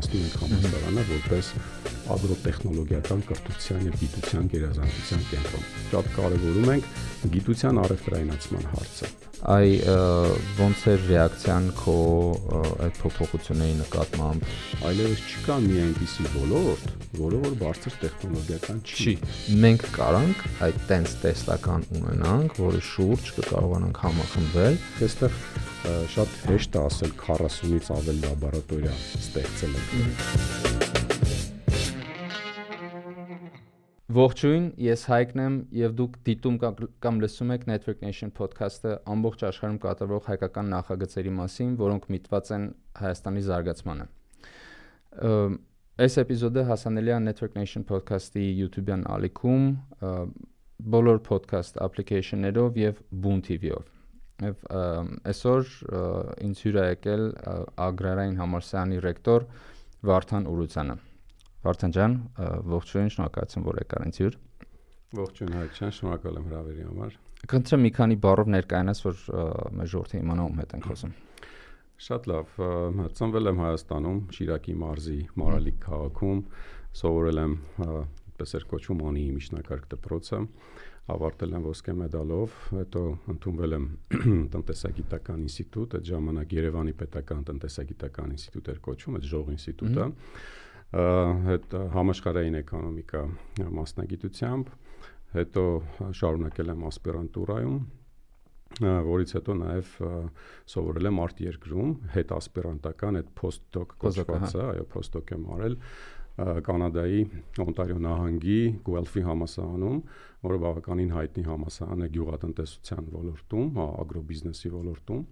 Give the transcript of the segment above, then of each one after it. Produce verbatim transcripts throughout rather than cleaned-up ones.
պատրաստում ենք համալսարանը որպես ագրոտեխնոլոգիական կրթության եւ գիտության գերազանցության կենտրոն։ Շատ կարևորում ենք գիտության առևտրայնացման հարցը։ Այ ոնց է ռեակցիան քո այդ փոփոխությունների նկատմամբ։ Այլևս չկա մի այնպիսի ոլորտ, որը որ բարձր տեխնոլոգիական չի։ Մենք կարանք այդ տենց տեսլական ունենանք, որի շուրջ կկարողանանք համախմբվել։ Այստեղ շատ հեշտ է ասել քառասունից ավել լաբորատորիա ստեղծել ենք։ Ողջույն, ես Հայկն եմ եւ դուք դիտում կամ լսում եք Network Nation podcast-ը ամբողջ աշխարհում կատարվող հայկական նախագծերի մասին, որոնք միտված են Հայաստանի զարգացմանը։ Այս էպիզոդը հասանելի է Network Nation podcast-ի YouTube-յան ալիքում, բոլոր podcast application-ներով եւ Boom T V-ով։ Եվ այսօր ինձ հյուր է եկել Ագրարային համալսարանի ռեկտոր Վարդան Ուրուցյանը։ Վարդան ջան, ողջույն, շնորհակալություն, որ եկար ինձ հյուր։ Ողջույն Հայկ ջան, շնորհակալ եմ հրավերի համար։ Կընտրեմ մի քանի բառով ներկայանաս, որ մեր ժողովրդը իմանա ում հետ ենք խոսում։ Շատ լավ, ծնվել եմ Հայաստանում, Շիրակի մարզի Մարալիկ քաղաքում, սովորել եմ այդպես էր կոչվում Անիի միջնակարգ դպրոցը, ավարտել եմ ոսկե մեդալով, հետո ընդունվել եմ տնտեսագիտական ինստիտուտ, այդ ժամանակ Երևանի պետական տնտեսագիտական ինստիտուտ էր կոչվում, այդ Ժող ինստիտուտը։ Հետ համաշխարհային էկոնոմիկա մասնագիտությամբ, հետո շարունակել եմ ասպիրանտուրայում, որից հետո նաև սովորել եմ արտերկրում, հետ ասպիրանտական այդ post-doc կոչվածը, այո, post-doc եմ արել Կանադայի Օնտարիո նահանգի Գուելֆի համալսարանում, որը բավականին հայտնի համալսարան է գյուղատնտեսության ոլորտում, ագրոբիզնեսի ոլորտում,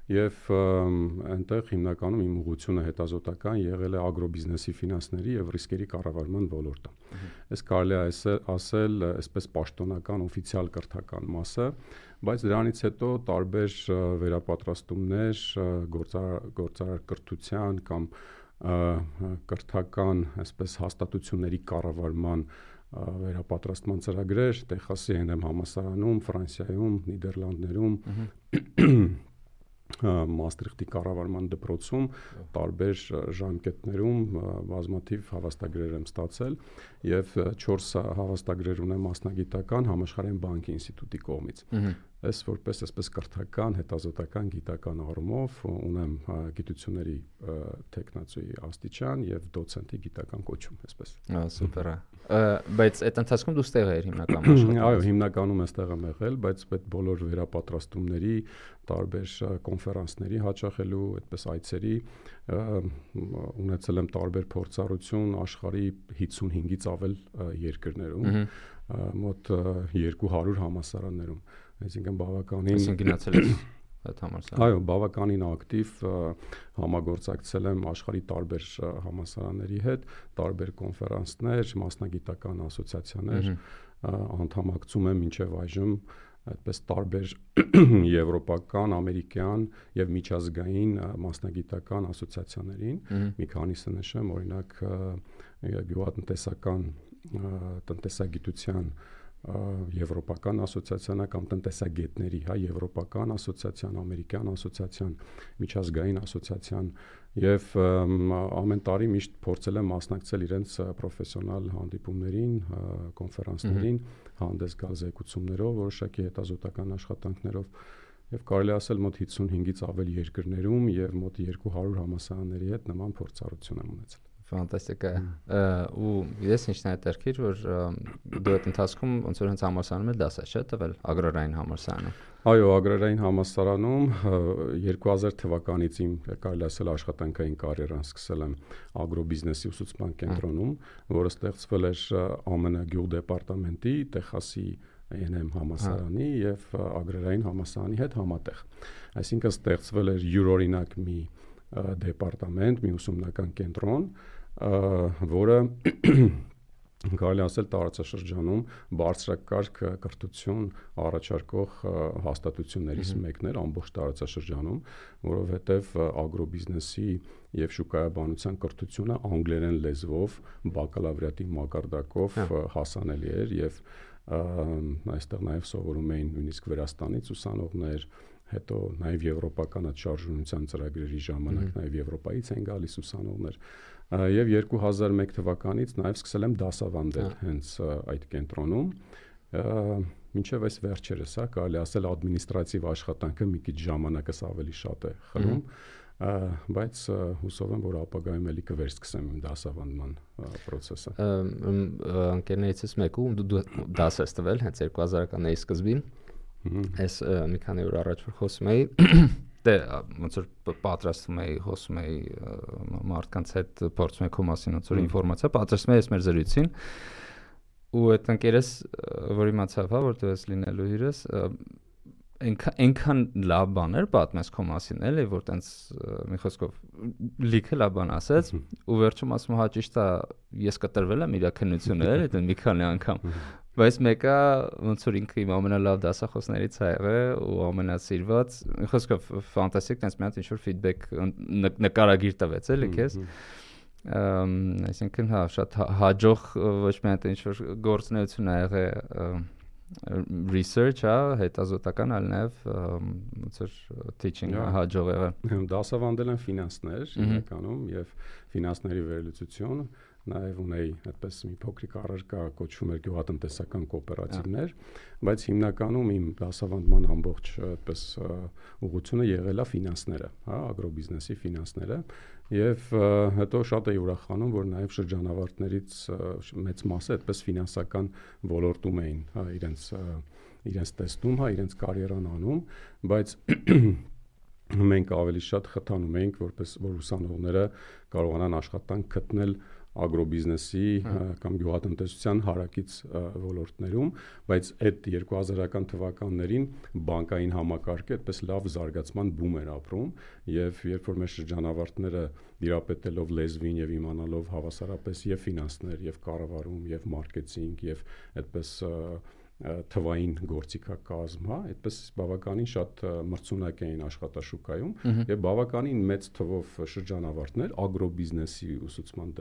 եւ այնտեղ հիմնականում իմ ուղղությունը հետազոտական եղել է ագրոբիզնեսի ֆինանսների եւ ռիսկերի կառավարման ոլորտը։ Այս կարելի է ասել այսպես պաշտոնական օֆիցիալ կրթական մասը, բայց դրանից հետո տարբեր վերապատրաստումներ գործարար կրթության կամ կրթական այսպես հաստատությունների կառավարման վերապատրաստման ծրագրեր Տեխասի Էն Էմ համալսարանում, Ֆրանսիայում, Նիդերլանդներում Մաստրիխտի կառավարման դպրոցում տարբեր ժամկետներում բազմաթիվ հավաստագրեր եմ ստացել եւ չորս հավաստագրեր ունեմ մասնագիտական Համաշխարհային բանկի ինստիտուտի կողմից։ Ես որպես այսպես կրթական, հետազոտական, գիտական առումով ունեմ գիտությունների տեխնացուի աստիճան եւ դոցենտի գիտական կոչում, այսպես։ Ահա, սուպեր է։ Բայց այդ ընթացքում դու ստեղ ես հիմնականում աշխատում։ Այո, հիմնականում այստեղ եմ եղել, բայց այդ բոլոր վերապատրաստումների, տարբեր կոնֆերանսների հաճախելու, այդպես այցերի ունեցել եմ տարբեր փորձառություն աշխարհի հիսունհինգից ավել երկրներում, մոտ երկու հարյուր համալսարաններում, այսինքն բավականին Այսինքն գնացել ես այդ համալսարան։ Այո, բավականին ակտիվ համագործակցել եմ աշխարհի տարբեր համալսարանների հետ, տարբեր կոնֆերանսներ, մասնագիտական ասոցիացիաներ, անդամակցում եմ մինչև այժմ այդպես տարբեր եվրոպական, ամերիկյան եւ միջազգային մասնագիտական ասոցիացիաներին, մի քանիսը նշեմ, օրինակ գյուղատնտեսական տնտեսագիտության եվրոպական ասոցիացիան կամ տնտեսագետների, հա, եվրոպական ասոցիացիան, ամերիկյան ասոցիացիան, միջազգային ասոցիացիան եւ ամեն տարի միշտ փորձել եմ մասնակցել իրենց պրոֆեսիոնալ հանդիպումներին, կոնֆերանսներին, հանդես գալ զեկուցումներով, որոշակի հետազոտական աշխատանքներով եւ կարելի ասել մոտ հիսունհինգից ավել երկրներում եւ մոտ երկու հարյուր համալսարանների հետ նման փորձառություն եմ ունեցել։ Ֆանտաստիկ է։ Ու ես ինչն է հետաքրքիր, որ դու այդ ընթացքում ոնց որ հենց համալսարանում էլ դասա չէ՞ տվել Ագրարային համալսարանում։ Այո, Ագրարային համալսարանում երկու հազար թվականից իմ կարելի ասել աշխատանքային կարիերան սկսել եմ ագրոբիզնեսի ուսուցման կենտրոնում, որը ստեղծվել էր Á Մը Ն գյուղ դեպարտամենտի Տեխասի Էն Էմ համալսարանի եւ Ագրարային համալսարանի հետ համատեղ։ Այսինքն ստեղծվել էր յուրօրինակ մի դեպարտամենտ, մի ուսումնական կենտրոն, որը կարելի ասել տարածաշրջանում բարձրակարգ կրթություն առաջարկող հաստատություններից մեկն էր ամբողջ տարածաշրջանում, որովհետև ագրոբիզնեսի եւ շուկայաբանության կրթությունը անգլերեն լեզվով բակալավրիատի մակարդակով հասանելի էր եւ այստեղ նաև սովորում էին նույնիսկ Վրաստանից ուսանողներ, հետո նաև եվրոպական այդ շարժունության ծրագրերի ժամանակ նաև Եվրոպայից են գալիս ուսանողներ, եւ երկու հազար մեկ թվականից նաև սկսել եմ դասավանդել հենց այդ կենտրոնում, մինչև այս վերջերս, հա, կարելի ասել ադմինիստրատիվ աշխատանքը մի քիչ ժամանակս ավելի շատ է խլում, բայց հուսով եմ, որ ապագայում էլի կվերսկսեմ իմ դասավանդման process-ը։ Ընկերներիցս մեկում դու դաս ես տվել հենց երկու հազարականների սկզբին, այս մի քանի օր առաջ որ խոսում էի, դե ոնց որ պատրաստում էի, խոսում էի մարդկանց հետ, փորձում էի քո մասին ոնց որ ինֆորմացիա պատրաստում էի այս մեր զրույցին, ու այդ ընկերս, որ իմացավ, հա, որ դու ես լինելու հյուրս, այնքան լավ բաներ պատմես քո մասին, էլի, որ տենց մի խոսքով լիքը լավ բան ասեց, ու վերջում ասում հա ճիշտ է, ես կտրվել եմ իր քննությունը, էլի, դե մի քանի անգամ, բայց մեկը ոնց որ ինքը իմ ամենալավ դասախոսներից ա եղել ու ամենասիրված, մի խոսքով ֆանտաստիկ, տենց մի հատ ինչ որ ֆիդբեք նկարագիր տվեց, էլի քեզ, այսինքն հա շատ հաջող ոչ միայն ինչ որ գործունեություն ա եղել research, հա, հետազոտական, այլ նաև ոնց որ teaching հաջող եղել։ Դասավանդել եմ ֆինանսներ հիմնականում եւ ֆինանսների վերլուծություն, նաև ունեի այդպես մի փոքրիկ առարկա կոչվում էր գյուղատնտեսական կոոպերատիվներ, բայց հիմնականում իմ դասավանդման ամբողջ այդպես ուղղությունը եղել է ֆինանսները, հա, ագրոբիզնեսի ֆինանսները, եւ հետո շատ էի ուրախանում, որ նաև շրջանավարտներից մեծ մասը այդպես ֆինանսական ոլորտում էին, հա, իրենց իրենց տեսնում, հա, իրենց կարիերան անում, բայց մենք ավելի շատ խթանում էինք, որպես որ ուսանողները կարողանան աշխատանք գտնել ագրոբիզնեսի կամ գյուղատնտեսության հարակից ոլորտներում, բայց այդ երկու հազարական թվականներին բանկային համակարգը այդպես լավ զարգացման բում էր ապրում, եւ երբ որ մեր շրջանավարտները դիրապետելով լեզվին եւ իմանալով հավասարապես եւ ֆինանսներ, եւ կառավարում, եւ մարքեթինգ, եւ այդպես թվային գործիքակազմ, հա, այդպես բավականին շատ մրցունակ էին աշխատաշուկայում եւ բավականին մեծ թվով շրջանավարտներ ագրոբիզնեսի ուսուցման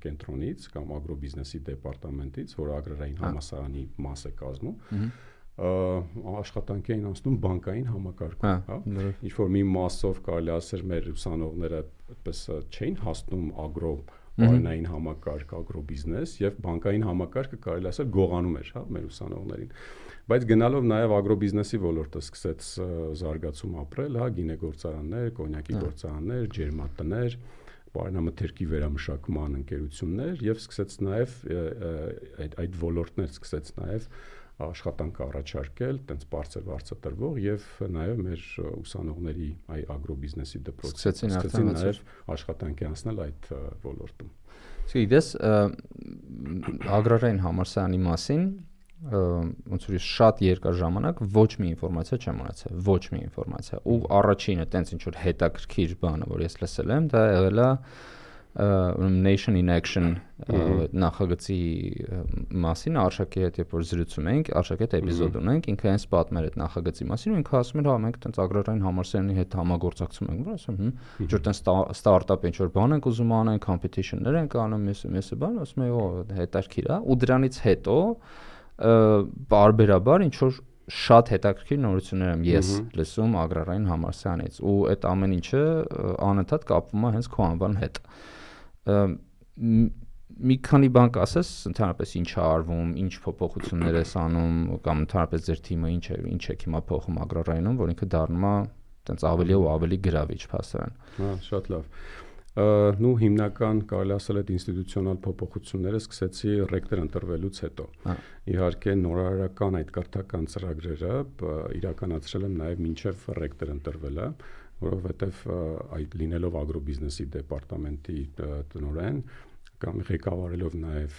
կենտրոնից կամ ագրոբիզնեսի դեպարտամենտից, որ ագրարային համալսարանի մաս է կազմում, աշխատանքի էին անցնում բանկային համակարգում, հա, ինչ որ մի մասով կարելի ասել մեր ուսանողները այդպես չէին հասնում ագրո Բարենային համակարգ, ագրոբիզնես եւ բանկային համակարգը կարելի ասել գողանում էր, հա, մեր ուսանողներին։ Բայց գնալով նաեւ ագրոբիզնեսի ոլորտը սկսեց զարգացում ապրել, հա, գինեգործարաններ, կոնյակի գործարաններ, ջերմատներ, պարենամթերքի վերամշակման ընկերություններ եւ սկսեց նաեւ այդ այդ ոլորտներ սկսեց նաեւ աշխատանք առաջարկել, տենց բարձր վարձատրվող եւ նաեւ մեր ուսանողների այ ագրոբիզնեսի դպրոցը սկսեցին նաեւ աշխատանքի անցնել այդ ոլորտում։ Գիտես, ագրարային համալսարանի մասին ոնց որ շատ երկար ժամանակ ոչ մի ինֆորմացիա չեմ ունեցել, ոչ մի ինֆորմացիա։ Ու առաջինը տենց ինչ որ հետաքրքիր բանը, որ ես լսել եմ, դա եղել է Nation in Action նախագծի մասին Արշակի հետ երբ որ զրուցում ենք, Արշակի հետ էպիզոդ ունենք, ինքը հենց պատմել այդ նախագծի մասին, ու ինքը ասում էր, հա, մենք տենց ագրարային համալսարանի հետ համագործակցում ենք, որ ասում, հմ, ինչ որ տենց ստարտափ ինչ որ բան ենք ուզում անենք, competition-ներ ենք անում, մեսը մեսը բան, ասում եմ, օ, հետաքրքիր է, ու դրանից հետո բարբերաբար ինչ որ շատ հետաքրքիր նորություններ եմ ես լսում ագրարային համալսարանից, ու այդ ամեն ինչը անընդհատ կապվում է հենց քո անվան հետ։ Մի քանի բան կասես, ընդհանրապես ինչ է արվում, ինչ փոփոխություններ ես անում, կամ ընդհանրապես ձեր թիմը ինչ է, ինչ է հիմա փոխում ագրարայինում, որ ինքը դառնում է տենց ավելի ու ավելի գրավիչ փաստորեն։ Հա, շատ լավ։ Նու հիմնական կարելի ասել այդ ինստիտուցիոնալ փոփոխությունները սկսեցի ռեկտոր ընտրվելուց հետո։ Իհարկե նորարարական այդ կրթական ծրագրերը իրականացրել եմ նաև մինչև ռեկտոր ընտրվելը, որովհետև այդ լինելով ագրոբիզնեսի դեպարտամենտի տնօրեն կամ ղեկավարելով նաև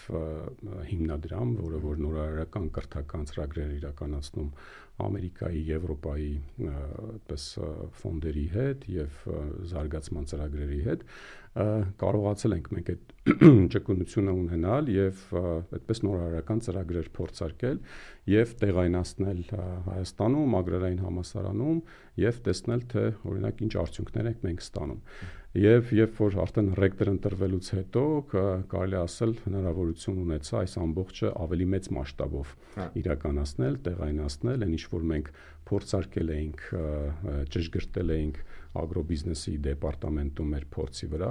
հիմնադրամ, որը որ նորարարական կրթական ծրագրեր իրականացնում Ամերիկայի, Եվրոպայի այդպես ֆոնդերի հետ եւ զարգացման ծրագրերի հետ, կարողացել ենք մենք այդ ճկունությունը ունենալ եւ այդպես նորարարական ծրագրեր փորձարկել եւ տեղայնացնել Հայաստանում, Ագրարային համալսարանում եւ տեսնել թե օրինակ ինչ արդյունքներ ենք մենք ստանում։ Եվ երբ որ արդեն ռեկտոր ընտրվելուց հետո կարելի ասել հնարավորություն ունեցա այս ամբողջը ավելի մեծ մասշտաբով իրականացնել, տեղայնացնել, այն ինչ որ մենք փորձարկել էինք, ճշգրտել էինք ագրոբիզնեսի դեպարտամենտում մեր փորձի վրա,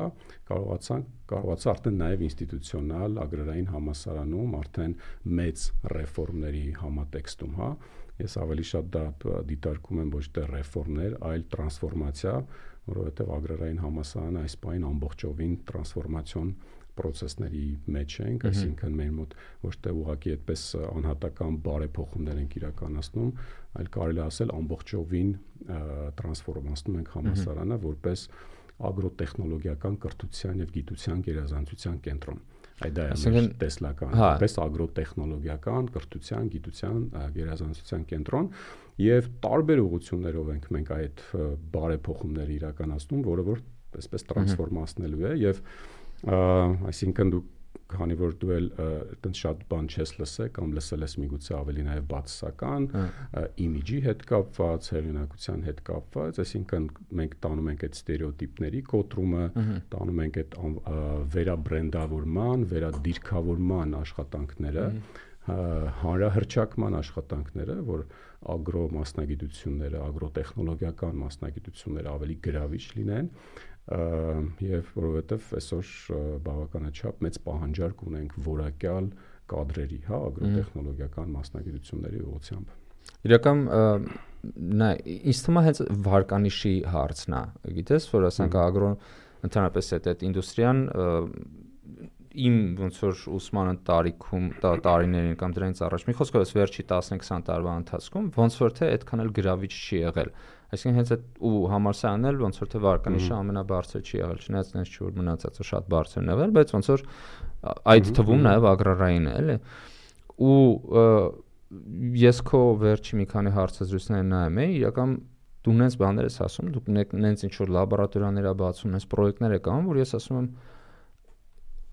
կարողացանք կարողացա արդեն նաև ինստիտուցիոնալ ագրարային համալսարանում արդեն մեծ ռեֆորմների համատեքստում, հա, ես ավելի շատ դա դիտարկում եմ ոչ թե ռեֆորմներ, այլ տրանսֆորմացիա, որովհետև ագրարային համալսարանը այս պայն ամբողջովին տրանսֆորմացիոն process-ների մեջ ենք, այսինքն մեր մոտ ոչ թե ուղղակի այդպես անհատական բարեփոխումներ ենք իրականացնում, այլ կարելի ասել ամբողջովին տրանսֆորմացնում ենք համալսարանը որպես ագրոտեխնոլոգիական կրթության եւ գիտության գերազանցության կենտրոն։ Այդ դա է տեսլական, որպես ագրոտեխնոլոգիական կրթության, գիտության գերազանցության կենտրոն եւ տարբեր ուղղություններով ենք մենք այդ բարեփոխումները իրականացնում, որը որ այսպես տրանսֆորմացնելու է եւ այսինքն դու քանի որ դու էլ այդպես շատ բան չես լսել կամ լսել ես միգուցե ավելի նաև բացասական իմիջի հետ կապված, հեղինակության հետ կապված, այսինքն մենք տանում ենք այդ ստերեոտիպների կոտրումը, տանում ենք այդ վերաբրենդավորման, վերադիրքավորման աշխատանքները, հանրահռչակման աշխատանքները, որ ագրո մասնագիտությունները, ագրոտեխնոլոգիական մասնագիտությունները ավելի գրավիչ լինեն եւ որովհետեւ այսօր բավականաչափ մեծ պահանջարկ ունենք որակյալ կադրերի, հա, ագրոտեխնոլոգիական մասնագիտությունների ուղղությամբ։ Իրական նա ինձ թվում է հենց վարկանիշի հարցն է, գիտես, որ ասենք ագրո ընդհանրապես այդ ինդուստրիան իմ ոնց որ ուսման տարիքում տարիներին կամ դրանից առաջ մի խոսքով էս վերջի տասնհինգ-քսան տարվա ընթացքում ոնց որ թե այդքան էլ գրավիչ չի եղել, այսինքն հենց այդ ու համալսարանն էլ ոնց որ թե վարկանիշը ամենաբարձր չի եղել, չնայած այնց չի որ մնացածը շատ բարձր են եղել, բայց ոնց որ այդ թվում նաև ագրարային է, էլի, ու ես քո վերջի մի քանի հարցազրույցները նայում էի, իրական դու նենց բաներ ես ասում, դուք նենց ինչ որ լաբորատորիաներ ա բացում, նենց պրոյեկտներ եք անում, որ ես ասում եմ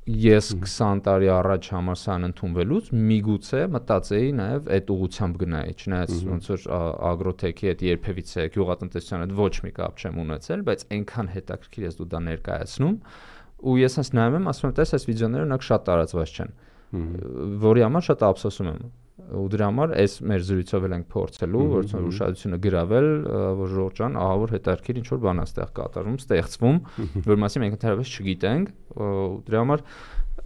ես քսան տարի առաջ համալսարան ընդունվելուց միգուցե մտածեի նաև այդ ուղղությամբ գնայի, չնայած ոնց որ ագրոթեքի հետ երբևիցե գյուղատնտեսության հետ ոչ մի կապ չեմ ունեցել, բայց այնքան հետաքրքիր ես դու դա ներկայացնում, ու ես հենց նայում եմ, ասում եմ, տես այս վիդեոները նրանք շատ տարածված չեն, որի համար շատ ափսոսում եմ, ու դրա համար այս մեր զրույցով էլ ենք փորձելու, որ ուշադրությունը գրավել, որ Ժորժան ահա որ հետաքրքիր ինչ որ բան է ստեղ կատարվում, ստեղծվում, որ մասի մենք ընդհանրապես չգիտենք, դրա համար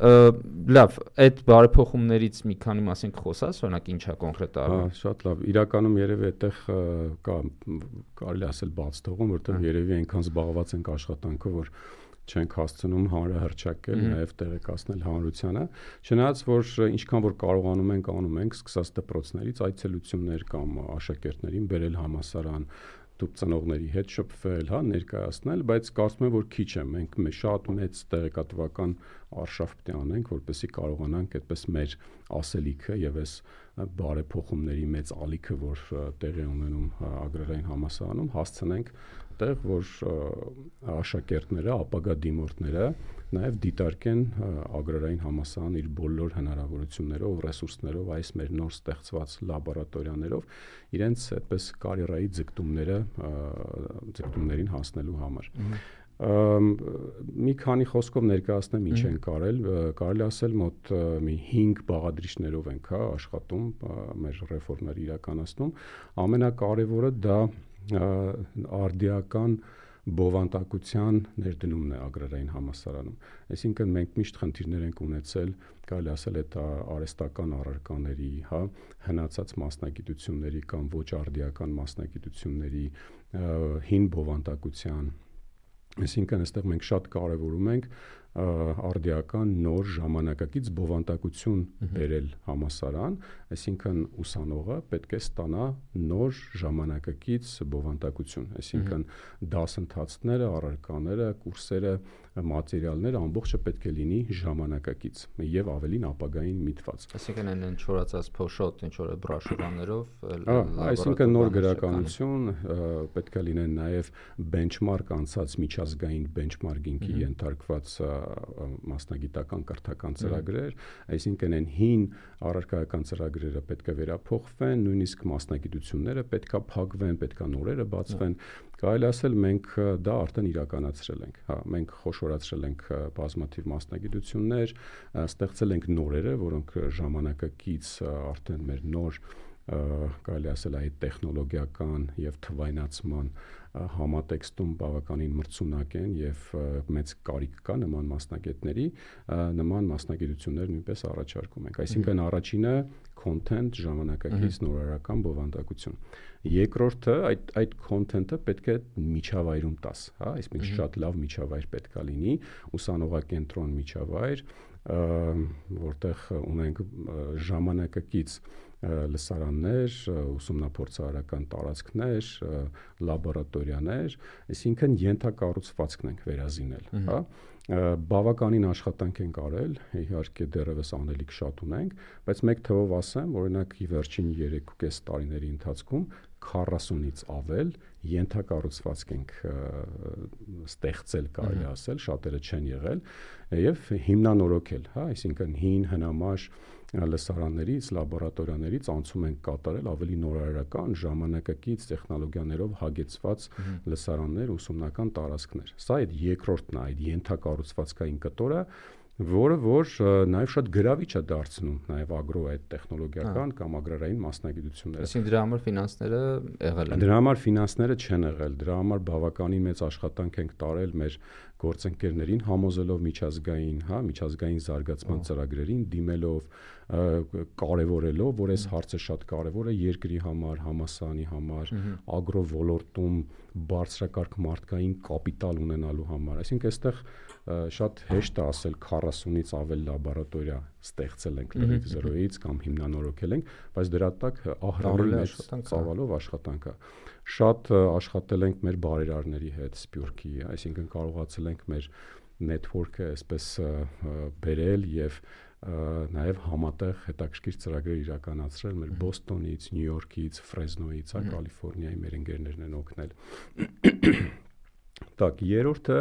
լավ, այդ բարեփոխումներից մի քանի մասին կխոսած, օրինակ ինչա կոնկրետ արվում։ Հա, շատ լավ։ Իրականում երևի այդտեղ կա կարելի ասել բաց թողում, որտեղ երևի այնքան զբաղված ենք աշխատանքով, որ չենք հասցնում հանրահռչակել, նաև տեղեկացնել հանրությանը, չնայած որ ինչքան որ կարողանում ենք անում ենք, սկսած դպրոցներից այցելություններ կամ աշակերտներին բերել համալսարան, դուք ծնողների հետ շփվել, հա, ներկայացնել, բայց կարծում եմ որ քիչ է, մենք շատ մեծ տեղեկատվական արշավ պետք է անենք, որպեսզի կարողանանք այդպես մեր ասելիքը եւ այս բարեփոխումների մեծ ալիքը, որ տեղի ունենում ագրարային համալսարանում, հասցնենք տեղ, որ աշակերտները, ապագա դիմորդները նաև դիտարկեն ագրարային համալսարան իր բոլոր հնարավորություններով, ռեսուրսներով, այս մեր նոր ստեղծված լաբորատորիաներով իրենց այդպես կարիերայի ձգտումները ձգտումներին հասնելու համար։ Մի քանի խոսքով ներկայացնեմ ինչ են կարել, կարելի ասել մոտ մի հինգ բաղադրիչներով ենք, հա, աշխատում, մեր ռեֆորմները իրականացնում, ամենակարևորը դա արդիական բովանդակության ներդնումն է ագրարային համալսարանում, այսինքն մենք միշտ խնդիրներ ենք ունեցել, կարելի ասել այդ արհեստական առարկաների, հա, հնացած մասնագիտությունների կամ ոչ արդիական մասնագիտությունների հին բովանդակության, այսինքն այստեղ մենք շատ կարևորում ենք արդիական նոր ժամանակակից բովանդակություն բերել համասարան, այսինքն ուսանողը պետք է ստանա նոր ժամանակակից բովանդակություն, այսինքն դասընթացները, առարկաները, կուրսերը, մատերիալները ամբողջը պետք է լինի ժամանակակից եւ ավելին ապագային միտված։ Այսինքն այն չորացած փոշոտ, ինչ որ բրաշուրաներով, այսինքն նոր գրականություն, պետք է լինեն նաեւ benchmark անցած միջազգային benchmarking-ի ենթարկված մասնագիտական կրթական ծրագրեր, այսինքն այն հին առարկայական ծրագրերը պետք է վերափոխվեն, նույնիսկ մասնագիտությունները պետք է փակվեն, պետք է նորերը բացվեն։ Կարելի ասել մենք դա արդեն իրականացրել ենք, հա, մենք խոշորացրել ենք բազմաթիվ մասնագիտություններ, ստեղծել ենք նորերը, որոնք ժամանակակից արդեն մեր նոր կարելի ասել այդ տեխնոլոգիական եւ թվայնացման համատեքստում բավականին մրցունակ են եւ մեծ կարիք կա նման մասնագետների, նման մասնագիտություններ նույնպես առաջարկում ենք։ Այսինքն առաջինը content ժամանակակից նորարարական բովանդակություն։ Երկրորդը այդ այդ content-ը պետք է միջավայրում տաս, հա, այսինքն շատ լավ միջավայր պետք է լինի, ուսանողակենտրոն միջավայր, որտեղ ունենք ժամանակակից լսարաններ, ուսումնափորձարարական տարածքներ, լաբորատորիաներ, այսինքն ենթակառուցվածքն ենք վերազինել, հա, բավականին աշխատանք ենք արել, իհարկե դեռևս անելիք շատ ունենք, բայց մեկ թվով ասեմ, օրինակ վերջին երեք ու կես տարիների ընթացքում քառասունից ավել ենթակառուցվածք ենք ստեղծել, կարելի ասել, շատերը չեն եղել եւ հիմնանորոգել, հա, այսինքն հին հնամաշ լսարաններից, լաբորատորիաներից անցում ենք կատարել ավելի նորարարական, ժամանակակից տեխնոլոգիաներով հագեցված լսարաններ, ուսումնական տարածքներ։ Սա այդ երկրորդն է, այդ ենթակառուցվածքային կտորը, որը որ նաև շատ գրավիչ է դարձնում նաև ագրո այդ տեխնոլոգիական կամ ագրարային մասնագիտությունները։ Այսինքն դրա համար ֆինանսները եղել են։ Դրա համար ֆինանսները չեն եղել, դրա համար բավականին մեծ աշխատանք ենք տարել մեր գործընկերներին համոզելով միջազգային, հա, միջազգային զարգացման ծրագրերին դիմելով, կարևորելով, որ այս հարցը շատ կարևոր է երկրի համար, համասարանի համար, ագրո ոլորտում բարձրակարգ մարդկային կապիտալ ունենալու համար։ Այսինքն այստեղ շատ հեշտ է ասել քառասունից ավել լաբորատորիա ստեղծել ենք լրիվ զրոյից կամ հիմնանորոգել ենք, բայց դրա տակ ահռելի մեծ ծավալով աշխատանք է։ Շատ աշխատել ենք մեր բարերարների հետ Սփյուռքի, այսինքն կարողացել ենք մեր network-ը այսպես բերել եւ նաև համատեղ հետաքրքիր ծրագրեր իրականացրել մեր Բոստոնից, Նյու Յորքից, Ֆրեզնոյից, հա, Կալիֆոռնիայի մեր ընկերներն են օգնել։ Так, երրորդը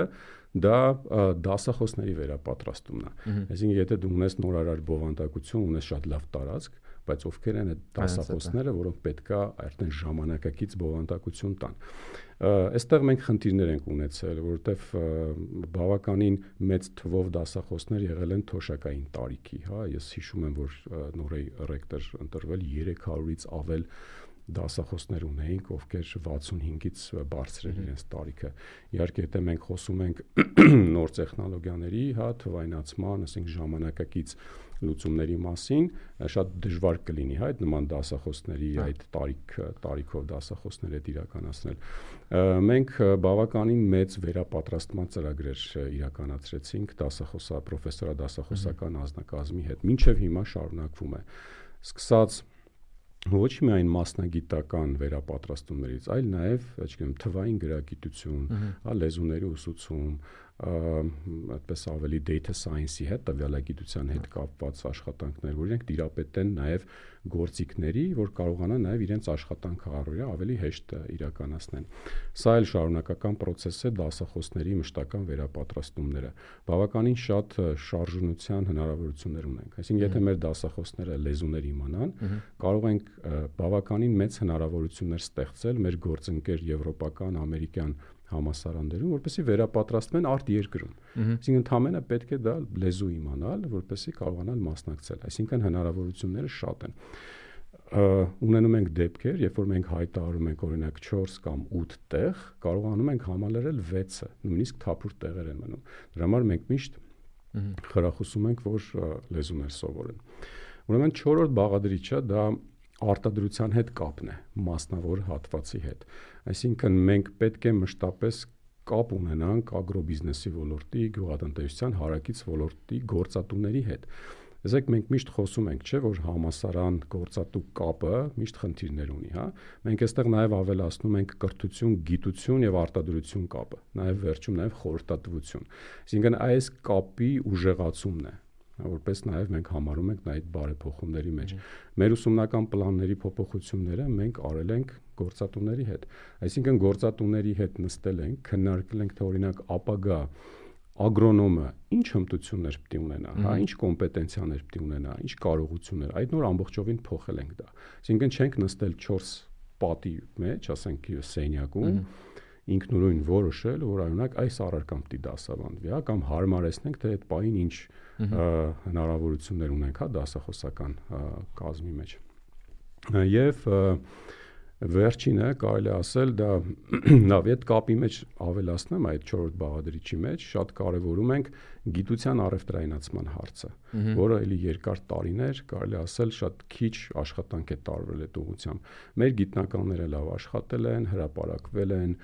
դա դասախոսների վերապատրաստումն է։ Այսինքն եթե դու ունես նորարար բովանդակություն, ունես շատ լավ տարածք, բայց ովքեր են այդ դասախոսները, որոնք պետքա արդեն ժամանակակից բովանդակություն տան։ Այստեղ մենք խնդիրներ ենք ունեցել, որովհետև բավականին մեծ թվով դասախոսներ եղել են թոշակային տարիքի, հա, ես հիշում եմ, որ նորեի ռեկտոր ընտրվել երեք հարյուրից ավել դասախոսներ ունեինք, ովքեր վաթսունհինգից բարձր էր իրենց տարիքը։ Իհարկե, եթե մենք խոսում ենք նոր տեխնոլոգիաների, հա, թվայնացման, ասենք ժամանակակից լուծումների մասին, շատ դժվար կլինի, հա, այդ նման դասախոսների այդ տարիք տարիքով դասախոսներ հետ իրականացնել։ Մենք բավականին մեծ վերապատրաստման ծրագրեր իրականացրեցինք դասախոսա պրոֆեսորադասախոսական անձնակազմի հետ, մինչև հիմա շարունակվում է։ Սկսած ոչ միայն մասնագիտական վերապատրաստումներից, այլ նաև, չգիտեմ, թվային գրագիտություն, հա, լեզուների ուսուցում, այդպես ավելի data science-ի հետ, տվյալագիտության հետ կապված աշխատանքներ, որ իրենք տիրապետեն նաև գործիքների, որ կարողանան նաև իրենց աշխատանքը առօրյա ավելի հեշտ իրականացնեն։ Սա էլ շարունակական process է դասախոսների մշտական վերապատրաստումները։ Բավականին շատ շարժունության հնարավորություններ ունենք։ Այսինքն, եթե մեր դասախոսները լեզուներ իմանան, կարող ենք բավականին մեծ հնարավորություններ ստեղծել մեր գործընկեր եվրոպական, ամերիկյան համասարաններում, որպեսզի վերապատրաստվեն արտերկրում։ Այսինքն ընդհանրապես պետք է դա լեզու իմանալ, որպեսզի կարողանալ մասնակցել։ Այսինքն հնարավորությունները շատ են։ Ունենում ենք դեպքեր, երբ որ մենք հայտարարում ենք օրինակ չորս կամ ութ տեղ, կարողանում ենք համալրել վեցը, նույնիսկ թափուր տեղեր են մնում։ Դրա համար մենք միշտ խրախուսում ենք, որ լեզուներ սովորեն։ Ուրեմն չորրորդ բաղադրիչը դա արտադրության հետ կապն է, մասնավոր հատվածի հետ։ Այսինքն մենք պետք է մշտապես կապ ունենանք ագրոբիզնեսի ոլորտի, գյուղատնտեսության հարակից ոլորտի գործատուների հետ։ Ասեք մենք միշտ խոսում ենք, չէ, որ համասարան գործատու կապը միշտ խնդիրներ ունի, հա։ Մենք այստեղ նաև ավելացնում ենք կրթություն, գիտություն եւ արտադրություն կապը, նաև վերջում նաև խորհրդատվություն։ Այսինքն այս կապի ուժեղացումն է, որպես նաև մենք համարում ենք այդ բարեփոխումների մեջ։ Մեր ուսումնական պլանների փոփոխությունները մենք արել ենք գործատուների հետ։ Այսինքն գործատուների հետ նստել ենք, քննարկել ենք, թե օրինակ ապագա ագրոնոմը ինչ հմտություններ պետք է ունենա, հա, ինչ կոմպետենցիաներ պետք է ունենա, ինչ կարողություններ, այդ նոր ամբողջովին փոխել ենք դա։ Այսինքն չենք նստել չորս պատի մեջ, ասենք սենյակում, ինքնուրույն որոշել, որ օրինակ այս առարկան պետք է դասավանդվի, հա, կամ հարմարեցնենք, թե այդ պահին ինչ հնարավորություններ ունենք, հա, դասախոսական կազմի մեջ։ Եվ վերջինը կարելի ասել դա լավ է, այդ կապի մեջ ավելացնեմ այդ չորրորդ բաղադրիչի մեջ շատ կարևորում ենք գիտության առևտրայնացման հարցը, որը էլի երկար տարիներ կարելի ասել շատ քիչ աշխատանք է տարվել այդ ուղղությամբ։ Մեր գիտնականները լավ աշխատել են, հրապարակվել են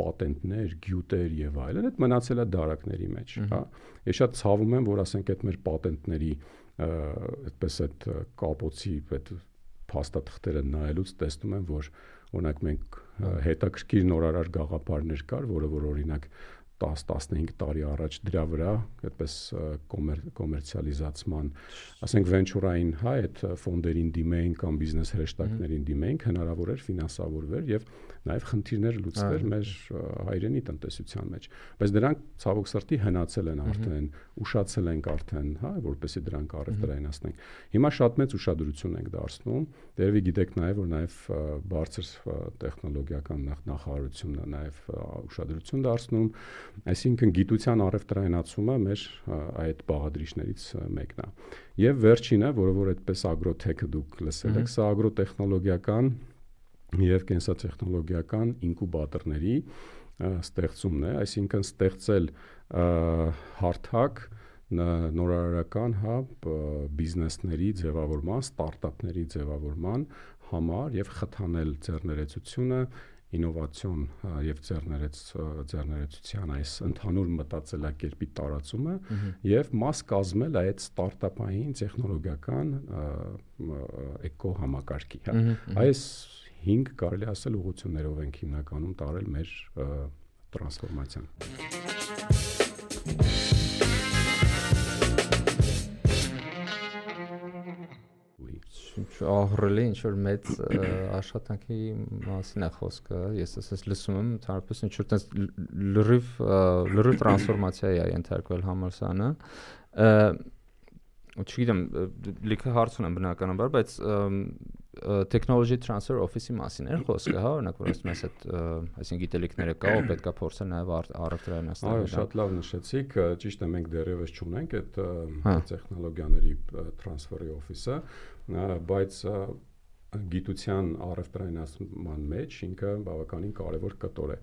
պատենտներ, գյուտեր եւ այլն, այդ մնացել է դարակների մեջ, հա։ Ես շատ ցավում եմ, որ ասենք այդ մեր պատենտների այդպես այդ կապոցի այդ փաստաթղթերը նայելուց տեսնում եմ, որ օրինակ մենք հետաքրքիր նորարար գաղափարներ կար, որը որ օրինակ տաս տասնհինգ տարի առաջ դրա վրա այդպես կոմերցիալիզացման, ասենք վենչուրային, հա, այդ ֆոնդերին դիմեին կամ բիզնես հրեշտակներին դիմեին, հնարավոր էր ֆինանսավորվեր եւ նաեւ խնդիրներ լուծվեր մեր հայրենի տնտեսության մեջ, բայց դրանք ցավոք սրտի հնացել են արդեն, ուշացել ենք արդեն, հա, որպեսզի դրանք առևտրայնացնենք։ Հիմա շատ մեծ ուշադրություն ենք դարձնում, դերևի գիտեք նաեւ, որ նաեւ բարձր տեխնոլոգիական նախարարությունը նաեւ ուշադրություն դարձնում, այսինքն գիտության առևտրայնացումը մեր այդ բաղադրիչներից մեկն է։ Եվ վերջինը, որը որ այդպես ագրոթեքը դուք լսել եք, սա ագրոտեխնոլոգիական եւ կենսատեխնոլոգիական ինկուբատորների ստեղծումն է, այսինքն ստեղծել հարթակ նորարարական, հա, բիզնեսների ձևավորման, ստարտափների ձևավորման համար եւ խթանել ձեռներեցությունը, ինովացիոն եւ ձեռներեցության այս ընդհանուր մտածելակերպի տարածումը եւ մաս կազմել այդ ստարտափային տեխնոլոգիական էկո համակարգի, հա։ Այս հինգ կարելի ասել ուղղություններով ենք հիմնականում տարել մեր տրանսֆորմացիան։ Ահռելի ինչ որ մեծ աշխատանքի մասին է խոսքը, ես ասես լսում եմ, ընդհանրապես ինչ որ տես լրիվ լրիվ տրանսֆորմացիա է ենթարկվել համալսարանը։ Չգիտեմ, լիքը հարց ունեմ բնականաբար, բայց technology transfer office-ի մասին էր խոսքը, հա, օրինակ որ ասում ես այդ այսինքն գիտելիքները կա, ու պետքա փորձել նաև առևտրայնացնել։ Այո, շատ լավ նշեցիք, ճիշտ է, մենք դեռևս չունենք այդ տեխնոլոգիաների transfer-ի office-ը, բայց գիտության առևտրայնացման մեջ ինքը բավականին կարևոր կտոր է։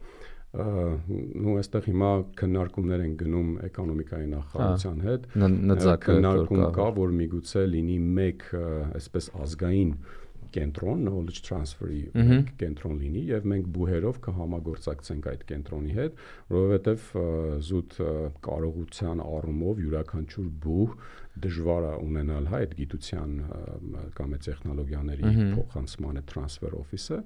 Նու այստեղ հիմա քննարկումներ են գնում էկոնոմիկայի նախարարության հետ, քննարկում կա, որ միգուցե լինի մեկ այսպես ազգային կենտրոն, knowledge transfer-ի կենտրոն լինի եւ մենք բուհերով կհամագործակցենք այդ կենտրոնի հետ, որովհետեւ զուտ կարողության առումով յուրաքանչյուր բուհ դժվար է ունենալ, հա, այդ գիտության կամ այդ տեխնոլոգիաների փոխանցման այդ transfer office-ը,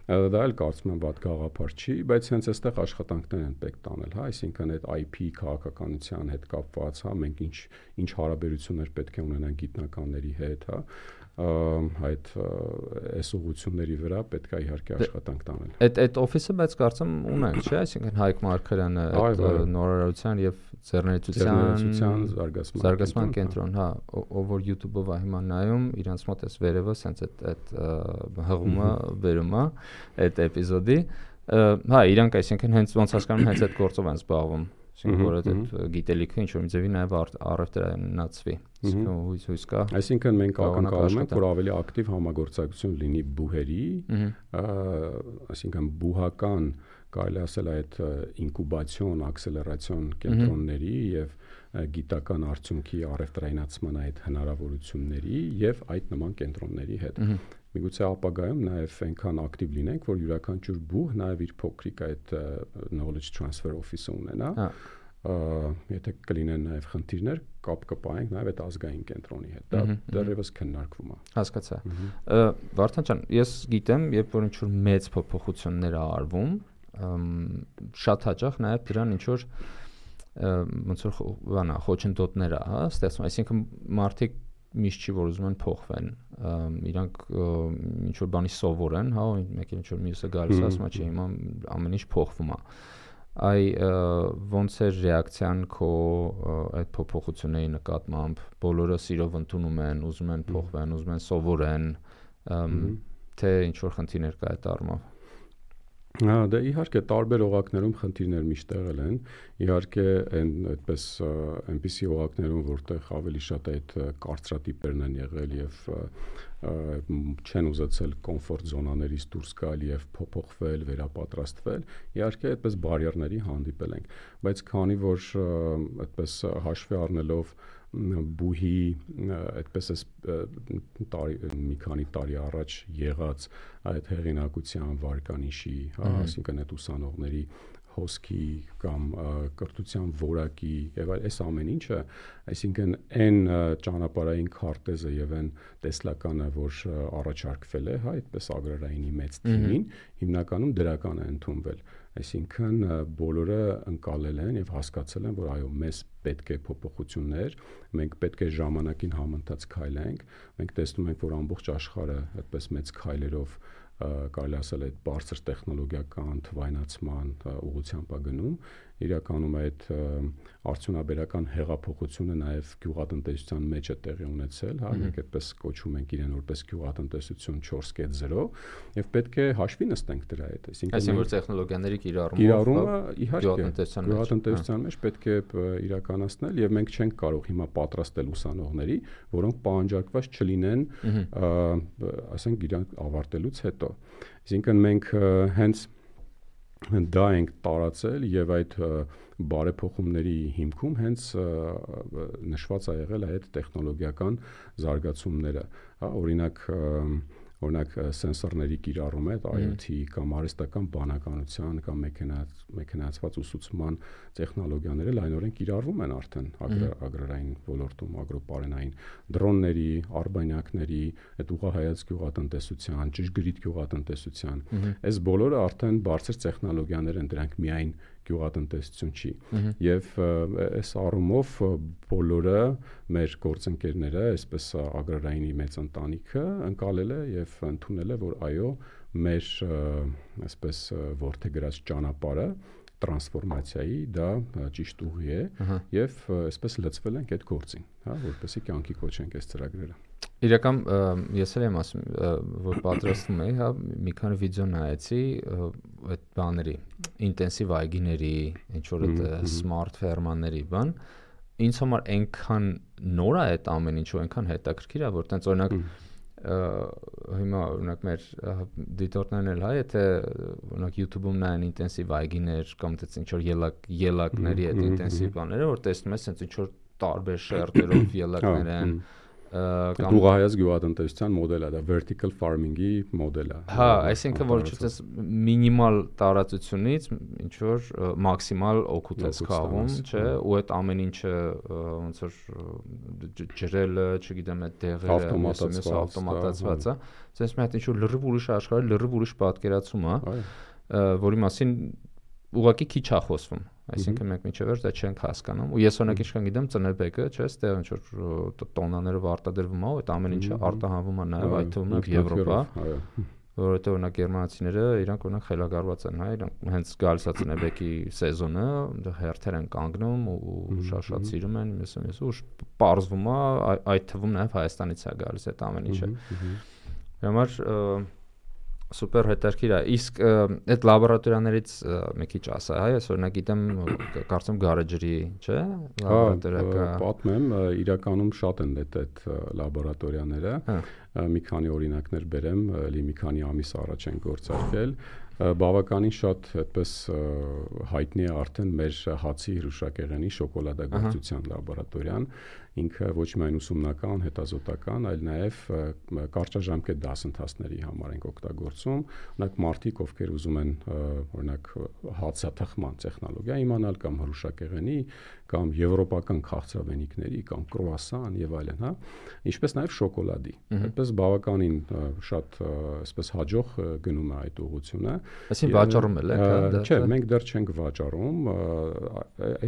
դա էլ կարծում եմ վատ գաղափար չի, բայց հենց այստեղ աշխատանքներ են պետք տանել, հա, այսինքն այդ I P քաղաքականության հետ կապված, հա, մենք ինչ ինչ հարաբերություններ պետք է ունենանք գիտնականների հետ, հա, այդ այս ուղղությունների վրա պետք է իհարկե աշխատանք տանել։ Այդ այդ օֆիսը բայց կարծեմ ունենք, չէ՞, այսինքն Հայկ Մարգարյանը այդ նորարարության եւ ձեռներեցության զարգացման կենտրոն, հա, ով որ YouTube-ով է հիմա նայում, իրանց մոտ էս վերևը սենց այդ այդ հղումը վերում է այդ էպիզոդի, հա, իրանք այսինքն հենց ոնց հասկանում հենց այդ գործով են զբաղվում։ Այսինքն որ այդ գիտելիքը ինչ որ մի ձևի նաև առևտրայնացվի։ Այսինքն հույս հույս կա։ Այսինքն մենք ակնկալում ենք, որ ավելի ակտիվ համագործակցություն լինի բուհերի, այսինքն բուհական կարելի ասել այդ ինկուբացիոն, ակսելերացիոն կենտրոնների եւ գիտական արդյունքի առևտրայնացման այդ հնարավորությունների եւ այդ նման կենտրոնների հետ։ միգուցե ապագայում նաև այնքան ակտիվ լինենք, որ յուրաքանչյուր բուհ նաև իր փոքրիկ այդ knowledge transfer office-ը ունենա։ Եթե կլինեն նաև խնդիրներ, կապ կպահենք նաև այդ ազգային կենտրոնի հետ։ Դա դեռևս քննարկվում է։ Հասկացա։ Վարդան ջան, ես գիտեմ, երբ որ ինչ-որ մեծ փոփոխություններ ա արվում, շատ հաճախ նաև դրան ինչ-որ ոնց որ բանա խոչընդոտներ ա, հա, ստեղծում, այսինքն մարդիկ միշտ չի որ ուզում են փոխվեն, իրանք ինչ որ բանի սովոր են, հա, մեկը ինչ որ մյուսը գալիս ասում է, չէ, հիմա ամեն ինչ փոխվում է։ Այ ոնց է ռեակցիան քո այդ փոփոխությունների նկատմամբ, բոլորը սիրով ընդունում են, ուզում են փոխվեն, ուզում են սովորեն, թե ինչ որ խնդիրներ կա այդ առումով։ Հա, դե իհարկե տարբեր օղակներում խնդիրներ միշտ եղել են, իհարկե այն այդպես այնպիսի օղակներում, որտեղ ավելի շատ այդ կարծրատիպերն են եղել եւ չեն ուզեցել կոմֆորտ զոնաներից դուրս գալ եւ փոփոխվել, վերապատրաստվել, իհարկե այդպես բարիերների հանդիպել ենք, բայց քանի որ այդպես հաշվի առնելով բուհի այդպես էս մի քանի տարի առաջ եղած այդ հեղինակության վարկանիշի, այսինքն այդ ուսանողների հոսքի կամ կրթության որակի եւ այս ամեն ինչը, այսինքն այն ճանապարհային քարտեզը եւ այն տեսլականը, որ առաջարկվել է, հա, այդպես ագրարայինի մեծ թիմին, հիմնականում դրական է ընդունվել։ Այսինքն բոլորը ընկալել են եւ հասկացել են, որ այո, մեզ պետք է փոփոխություններ, մենք պետք է ժամանակին համընթաց քայլենք, մենք տեսնում ենք, որ ամբողջ աշխարհը այդպես մեծ քայլերով կարելի ասել այդ բարձր տեխնոլոգիական թվայնացման ուղղությամբ է գնում, իրականում այդ արդյունաբերական հեղափոխությունը նաև գյուղատնտեսության մեջ է տեղի ունեցել, հա, մենք այդպես կոչում ենք իրեն որպես գյուղատնտեսություն չորս կետ զիրո, եւ պետք է հաշվի նստենք դրա հետ, այսինքն որ տեխնոլոգիաների կիրառումը իհարկե գյուղատնտեսության մեջ պետք է իրականացնել եւ մենք չենք կարող հիմա պատրաստել ուսանողների, որոնք պահանջարկված չլինեն, ասենք իրանք ավարտելուց հետո։ Այսինքն մենք հենց դա ենք տարածել եւ այդ բարեփոխումների հիմքում հենց նշված ա եղել այդ տեխնոլոգիական զարգացումները, հա, օրինակ օրինակ սենսորների կիրառումը, այդ I O T կամ արհեստական բանականության կամ մեքենայացված ուսուցման տեխնոլոգիաները լայնորեն կիրառվում են արդեն ագրարային ոլորտում, ագրոպարենային, դրոնների, արբանյակների, այդ ուղղահայաց գյուղատնտեսության, ճշգրիտ գյուղատնտեսության, այս բոլորը արդեն բարձր տեխնոլոգիաներ են, դրանք միայն գյուղատնտեսություն չի եւ այս առումով բոլորը մեր գործընկերները, այսպես ագրարայինի մեծ ընտանիքը ընկալել է եւ ընդունել է, որ այո, մեր այսպես ворթեգրած ճանապարհը տրանսֆորմացիայի դա ճիշտ ուղի է եւ այսպես լծվել ենք այդ գործին, հա, որպեսզի կյանքի կոչենք այս ծրագրերը։ Իրական ես էլ եմ ասում, որ պատրաստվում էի, հա, մի քանի վիդեո նայեցի այդ բաների, ինտենսիվ այգիների, ինչ որ այդ սմարթ ֆերմաների բան, ինձ համար այնքան նոր է այդ ամեն ինչը, այնքան հետաքրքիր է, որ տենց օրինակ հիմա օրինակ մեր դիտորդներն էլ հա, եթե օրինակ YouTube-ում նայեն ինտենսիվ այգիներ կամ տենց ինչ որ ելակ ելակների այդ ինտենսիվ բաները, որ տեսնում ես տենց ինչ որ տարբեր շերտերով ելակներ են կամ ուղղահայաց գյուղատնտեսության մոդելը, դա vertical farming-ի մոդելը։ Հա, այսինքն որ չես մինիմալ տարածությունից ինչ որ մաքսիմալ օգուտ ես քաղում, չէ, ու այդ ամեն ինչը ոնց որ ջրելը, չգիտեմ, այդ դեղերը, ավտոմատացված է, ասես մի հատ ինչ որ լրիվ ուրիշ աշխարհի լրիվ ուրիշ պատկերացում է, որի մասին ուղղակի քիչ է խոսվում, այսինքն մենք միջև դա չենք հասկանում, ու ես օրինակ ինչքան գիտեմ ծնեբեկը, չէ, այստեղ ինչ որ տոնաներով արտադրվում է, այդ ամեն ինչը արտահանվում է նաև այդ թվում է Եվրոպա, որովհետեւ օրինակ գերմանացիները իրանք օրինակ խելագարված են, հա, իրանք հենց գալիս է ծնեբեկի սեզոնը, այնտեղ հերթեր են կանգնում ու շատ սիրում են, ես ես ու պարզվում է այդ թվում նաև Հայաստանից է գալիս այդ ամեն ինչը։ Դրա համար սուպեր հետաքրքիր է, իսկ այդ լաբորատորիաներից մի քիչ ասա, հա, ես օրինակ գիտեմ, կարծում գարեջրի, չէ, լաբորատորիա պատմեմ, իրականում շատ են այդ այդ լաբորատորիաները, մի քանի օրինակներ բերեմ, լի մի քանի ամիս առաջ են գործարկել, բավականին շատ այդպես հայտնի է արդեն մեր հացի հրուշակեղենի շոկոլադագործության լաբորատորիան ինքը ոչ միայն ուսումնական, հետազոտական, այլ նաև կարճաժամկետ դասընթացների համար ենք օգտագործում։ Օրինակ մարդիկ, ովքեր ուզում են օրինակ հացաթխման տեխնոլոգիա իմանալ կամ հրուշակեղենի կամ եվրոպական քաղցրավենիքների կամ կրուասան եւ այլն, հա, ինչպես նաև շոկոլադի։ Այդպես բավականին շատ այսպես հաջող գնում է այդ ուղղությունը։ Այսինքն վաճառում եք, հա։ Չէ, մենք դեռ չենք վաճառում,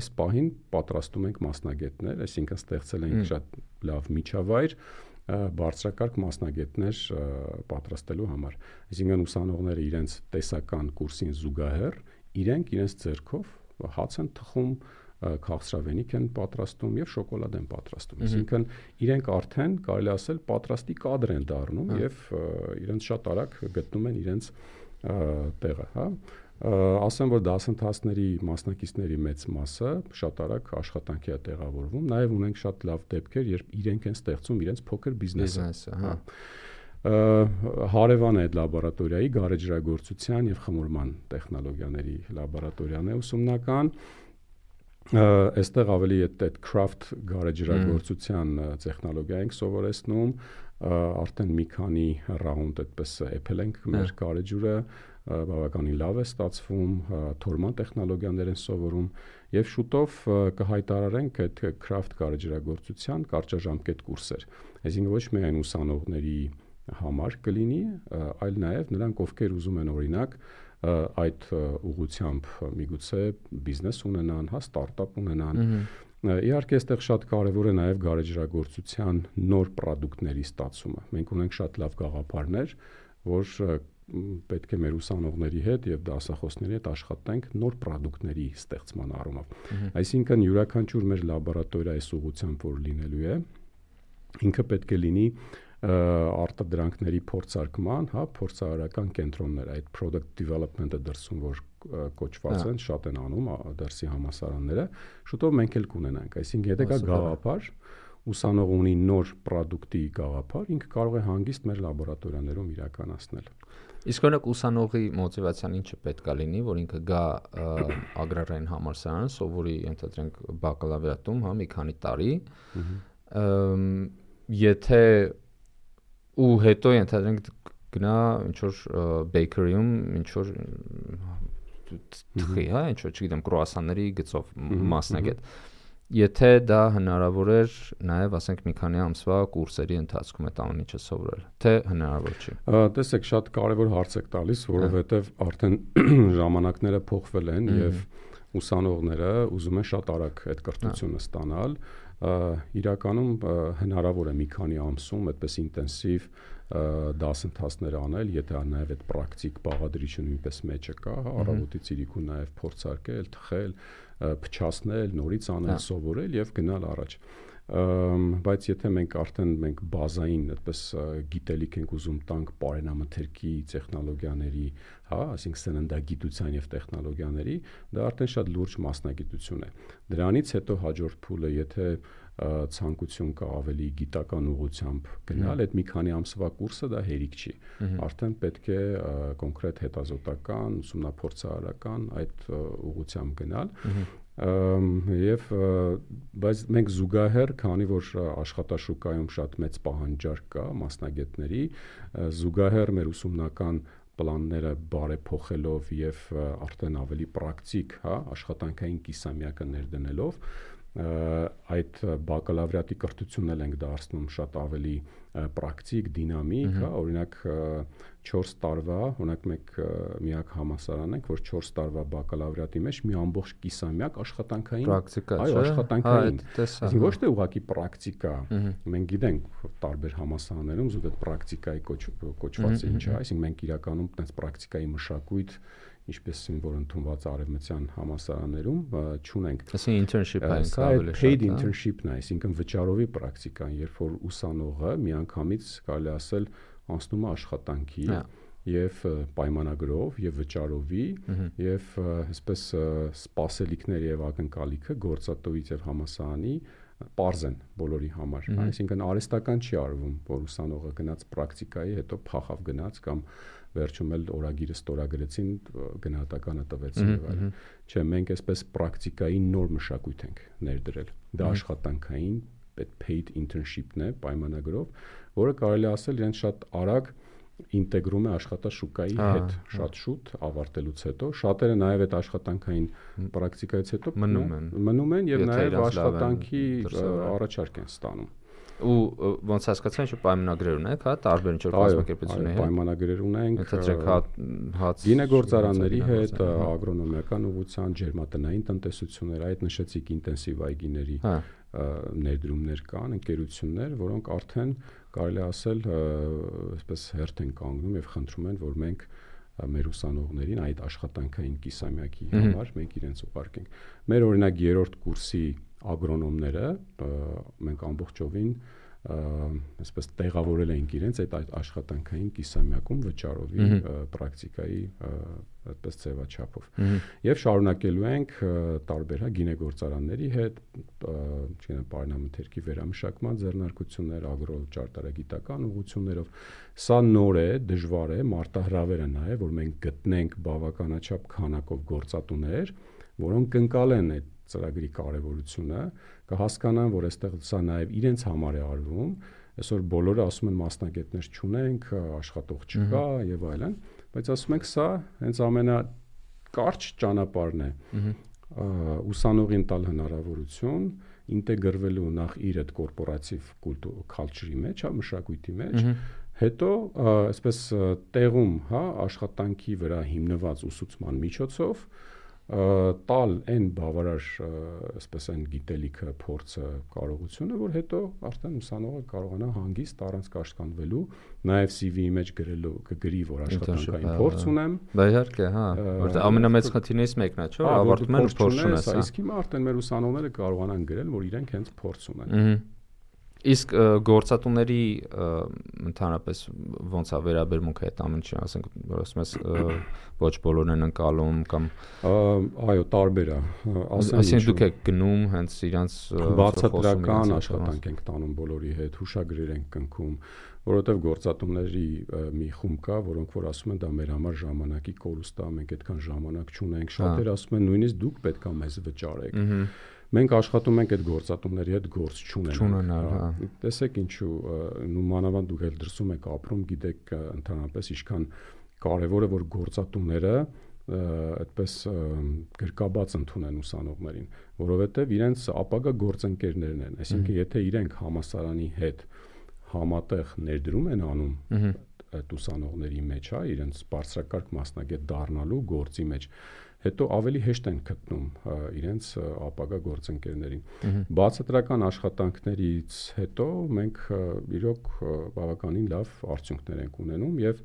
այս պահին պատրաստում ենք մասնագետներ, այսինքն ստեղծել ենք շատ լավ միջավայր բարձրակարգ մասնագետներ պատրաստելու համար։ Այսինքն ուսանողները իրենց տեսական կուրսին զուգահեռ իրենք իրենց ձեռքով հաց են թխում, քաղցրավենիք են պատրաստում եւ շոկոլադ են պատրաստում։ Այսինքն իրենք արդեն կարելի ասել պատրաստի կադր են դառնում եւ իրենց շատ արագ գտնում են իրենց տեղը, հա։ Ասեմ, որ դասընթացների մասնակիցների մեծ մասը շատ արագ աշխատանքի է տեղավորվում, նաև ունենք շատ լավ դեպքեր, երբ իրենք են ստեղծում իրենց փոքր բիզնեսը, հա։ Հարևան է այդ լաբորատորիայի գարեջրագործության եւ խմորման տեխնոլոգիաների լաբորատորիան է ուսումնական։ Այստեղ ավելի այդ craft գարեջրագործության տեխնոլոգիա ենք սովորեցնում, արդեն մի քանի ռաունդ այդպես էփել ենք մեր գարեջուրը, բավականին լավ է ստացվում, թորման տեխնոլոգիաներ են սովորում եւ շուտով կհայտարարենք այդ craft գարեջրագործության կարճաժամկետ կուրսեր։ Այսինքն ոչ միայն ուսանողների համար կլինի, այլ նաեւ նրանք, ովքեր ուզում են օրինակ այդ ուղղությամբ միգուցե բիզնես ունենան, հա, ստարտափ ունենան։ Իհարկե, այստեղ շատ կարևոր է նաև գարեջրագործության նոր պրոդուկտների ստացումը։ Մենք ունենք շատ լավ գաղափարներ, որ պետք է մեր ուսանողների հետ եւ դասախոսների հետ աշխատենք նոր պրոդուկտների ստեղծման առումով։ Այսինքն յուրաքանչյուր մեր լաբորատորիա այս ուղղությամբ որ լինելու է, ինքը պետք է լինի արտադրանքների փորձարկման, հա, փորձարարական կենտրոններ, այդ product development-ը դրսում որ կոչված են, շատ են անում դրսի համալսարանները, շուտով մենք էլ կունենանք։ Այսինքն եթե կա գաղափար, ուսանողը ունի նոր պրոդուկտի գաղափար, ինքը կարող է հանգիստ մեր լաբորատորիաներում իրականացնել։ Իսկ օրինակ ուսանողի մոտիվացիան ինչը պետք է լինի, որ ինքը գա ագրարային համալսարան, սովորի, ենթադրենք բակալավրիատում, հա, մի քանի տարի, եթե ու հետո ենթադրենք գնա ինչ որ bakery-ում ինչ որ թխի, հա, ինչ որ չգիտեմ, կրուասանների գծով մասնագետ։ Եթե դա հնարավոր էր նաև ասենք մի քանի ամսվա կուրսերի ընթացքում այդ ամեն ինչը սովորել, թե հնարավոր չի։ Տեսեք, շատ կարևոր հարց եք տալիս, որովհետև արդեն ժամանակները փոխվել են եւ ուսանողները ուզում են շատ արագ այդ կրթությունը ստանալ։ Իրականում հնարավոր է մի քանի ամսում այդպես ինտենսիվ դասընթացներ անել, եթե նաև այդ պրակտիկ բաղադրիչը նույնպես մեջը կա, առավոտից իրիկուն նաև փորձարկել, թխել, փչացնել, նորից անել, սովորել եւ գնալ առաջ։ Բայց եթե մենք արդեն մենք բազային այդպես գիտելիք ենք ուզում տանք բարենամթերքի տեխնոլոգիաների, հա, այսինքն սննդագիտության եւ տեխնոլոգիաների, դա արդեն շատ լուրջ մասնագիտություն է։ Դրանից հետո հաջորդ փուլը, եթե ցանկություն կա ավելի գիտական ուղղությամբ գնալ, այդ մի քանի ամսվա կուրսը դա հերիք չի։ Արդեն պետք է կոնկրետ հետազոտական, ուսումնափորձարարական այդ ուղղությամբ գնալ։ Եվ բայց մենք զուգահեռ, քանի որ աշխատաշուկայում շատ մեծ պահանջարկ կա մասնագետների, զուգահեռ մեր ուսումնական պլանները բարեփոխելով եւ արդեն ավելի պրակտիկ, հա, աշխատանքային կիսամյակը ներդնելով այդ բակալավրիատի կրթությունն էլ ենք դարձնում շատ ավելի պրակտիկ, դինամիկ, հա, օրինակ չորս տարվա, օրինակ մենք միակ համալսարան ենք, որ չորս տարվա բակալավրիատի մեջ մի ամբողջ կիսամյակ աշխատանքային պրակտիկա, այո, աշխատանքային, այսինքն ոչ թե ուղղակի պրակտիկա, մենք գիտենք տարբեր համալսարաններում զուտ այդ պրակտիկայի կոչվածը ինչ է, այսինքն մենք իրականում այդպես պրակտիկայի մշակույթ ինչպես որ ընդունված արևմտյան համալսարաններում չունենք։ Այսինքն internship-ը ենք ավելի շատ։ Paid internship-ն է, այսինքն վճարովի պրակտիկան, երբ որ ուսանողը միանգամից կարելի ասել անցնում է աշխատանքի եւ պայմանագրով եւ վճարովի եւ այսպես սպասելիքներ եւ ակնկալիքը գործատուից եւ համալսարանի պարզ են բոլորի համար։ Այսինքն արհեստական չի արվում, որ ուսանողը գնաց պրակտիկայի, հետո փախավ գնաց կամ վերջում էլ օրագիրը ստորագրեցին, գնահատականը տվեցին եւ այլն։ Չէ, մենք այսպես պրակտիկայի նոր մշակույթ ենք ներդրել։ Դա աշխատանքային այդ paid internship-ն է պայմանագրով, որը կարելի ասել իրենց շատ արագ ինտեգրում է աշխատաշուկայի հետ շատ շուտ ավարտելուց հետո շատերը նաև այդ աշխատանքային պրակտիկայից հետո մնում են մնում են եւ նաև աշխատանքի առաջարկ են ստանում ու ոնց հասկացա ինչ պայմանագրեր ունեք, հա, տարբեր ինչ որ կազմակերպությունների հետ պայմանագրեր ունենք ընդհանրեք հաց գինեգործարանների հետ, ագրոնոմիական ուղղության, ջերմատնային տնտեսություններ, այդ նշեցիք ինտենսիվ այգիների ներդրումներ կան, ընկերություններ, որոնք արդեն կարելի ասել այսպես հերթ են կանգնում եւ խնդրում են, որ մենք մեր ուսանողներին այդ աշխատանքային կիսամյակի համար մենք իրենց ուղարկենք։ Մեր օրինակ երրորդ կուրսի ագրոնոմները մենք ամբողջովին այսպես տեղավորել ենք իրենց այդ աշխատանքային կիսամյակում վճարովի պրակտիկայի այդպես ձևաչափով եւ շարունակելու ենք տարբեր հա գինեգործարանների հետ չգիտեմ պարենամթերքի վերամշակման ձեռնարկություններ ագրո ճարտարագիտական ուղղություններով սա նոր է դժվար է մարտահրավեր է նաեւ որ մենք գտնենք բավականաչափ քանակով գործատուներ որոնք կընկալեն այդ ծրագրի կարևորությունը կհասկանան որ այստեղ սա նաև իրենց համար է արվում այսօր բոլորը ասում են մասնագետներ չունենք աշխատող չկա եւ այլն բայց ասում ենք սա հենց ամենակարճ ճանապարհն է ուսանողին տալ հնարավորություն ինտեգրվելու նախ իր այդ կորպորատիվ culture-ի մեջ հա մշակույթի մեջ հետո այսպես տեղում հա աշխատանքի վրա հիմնված ուսուցման միջոցով տալ այն բավարար այսպես այն գիտելիքը, փորձը, կարողությունը, որ հետո արդեն ուսանողը կարողանա հանգիստ առանց կաշկանդվելու, նաև C V-ի մեջ գրելու կգրի, որ աշխատանքային փորձ ունեմ։ Դա իհարկե, հա, որտեղ ամենամեծ խնդիրներից մեկն է, չէ՞, ավարտում են փորձ ունես, հա։ Իսկ հիմա արդեն մեր ուսանողները կարողանան գրել, որ իրենք հենց փորձ ունեն։ Իսկ գործատուների ընդհանրապես ոնց է վերաբերմունքը այդ ամենին, ասենք, որ ասում ես ոչ բոլորն են ընկալում կամ այո, տարբեր է, ասենք դուք եք գնում հենց իրանց բացատրական աշխատանք ենք տանում բոլորի հետ, հուշագրեր ենք կնքում, որովհետև գործատուների մի խումբ կա, որոնք որ ասում են դա մեր համար ժամանակի կորուստ է, մենք այդքան ժամանակ չունենք, շատերը ասում են նույնիսկ դուք պետք է մեզ վճարեք։ Մենք աշխատում ենք այդ գործատուների հետ գործ չունենալ, հա։ Տեսեք ինչու, նու մանավանդ դուք էլ դրսում եք ապրում, գիտեք ընդհանրապես ինչքան կարևոր է որ գործատուները այդպես գրկաբաց ընդունեն ուսանողներին, որովհետև իրենց ապագա գործընկերներն են, այսինքն եթե իրենք համասարանի հետ համատեղ ներդրում են անում այդ ուսանողների մեջ, հա, իրենց բարձրակարգ մասնագետ դառնալու գործի մեջ հետո ավելի հեշտ են գտնում իրենց ապագա գործընկերներին։ Բացատրական աշխատանքներից հետո մենք իրոք բավականին լավ արդյունքներ ենք ունենում եւ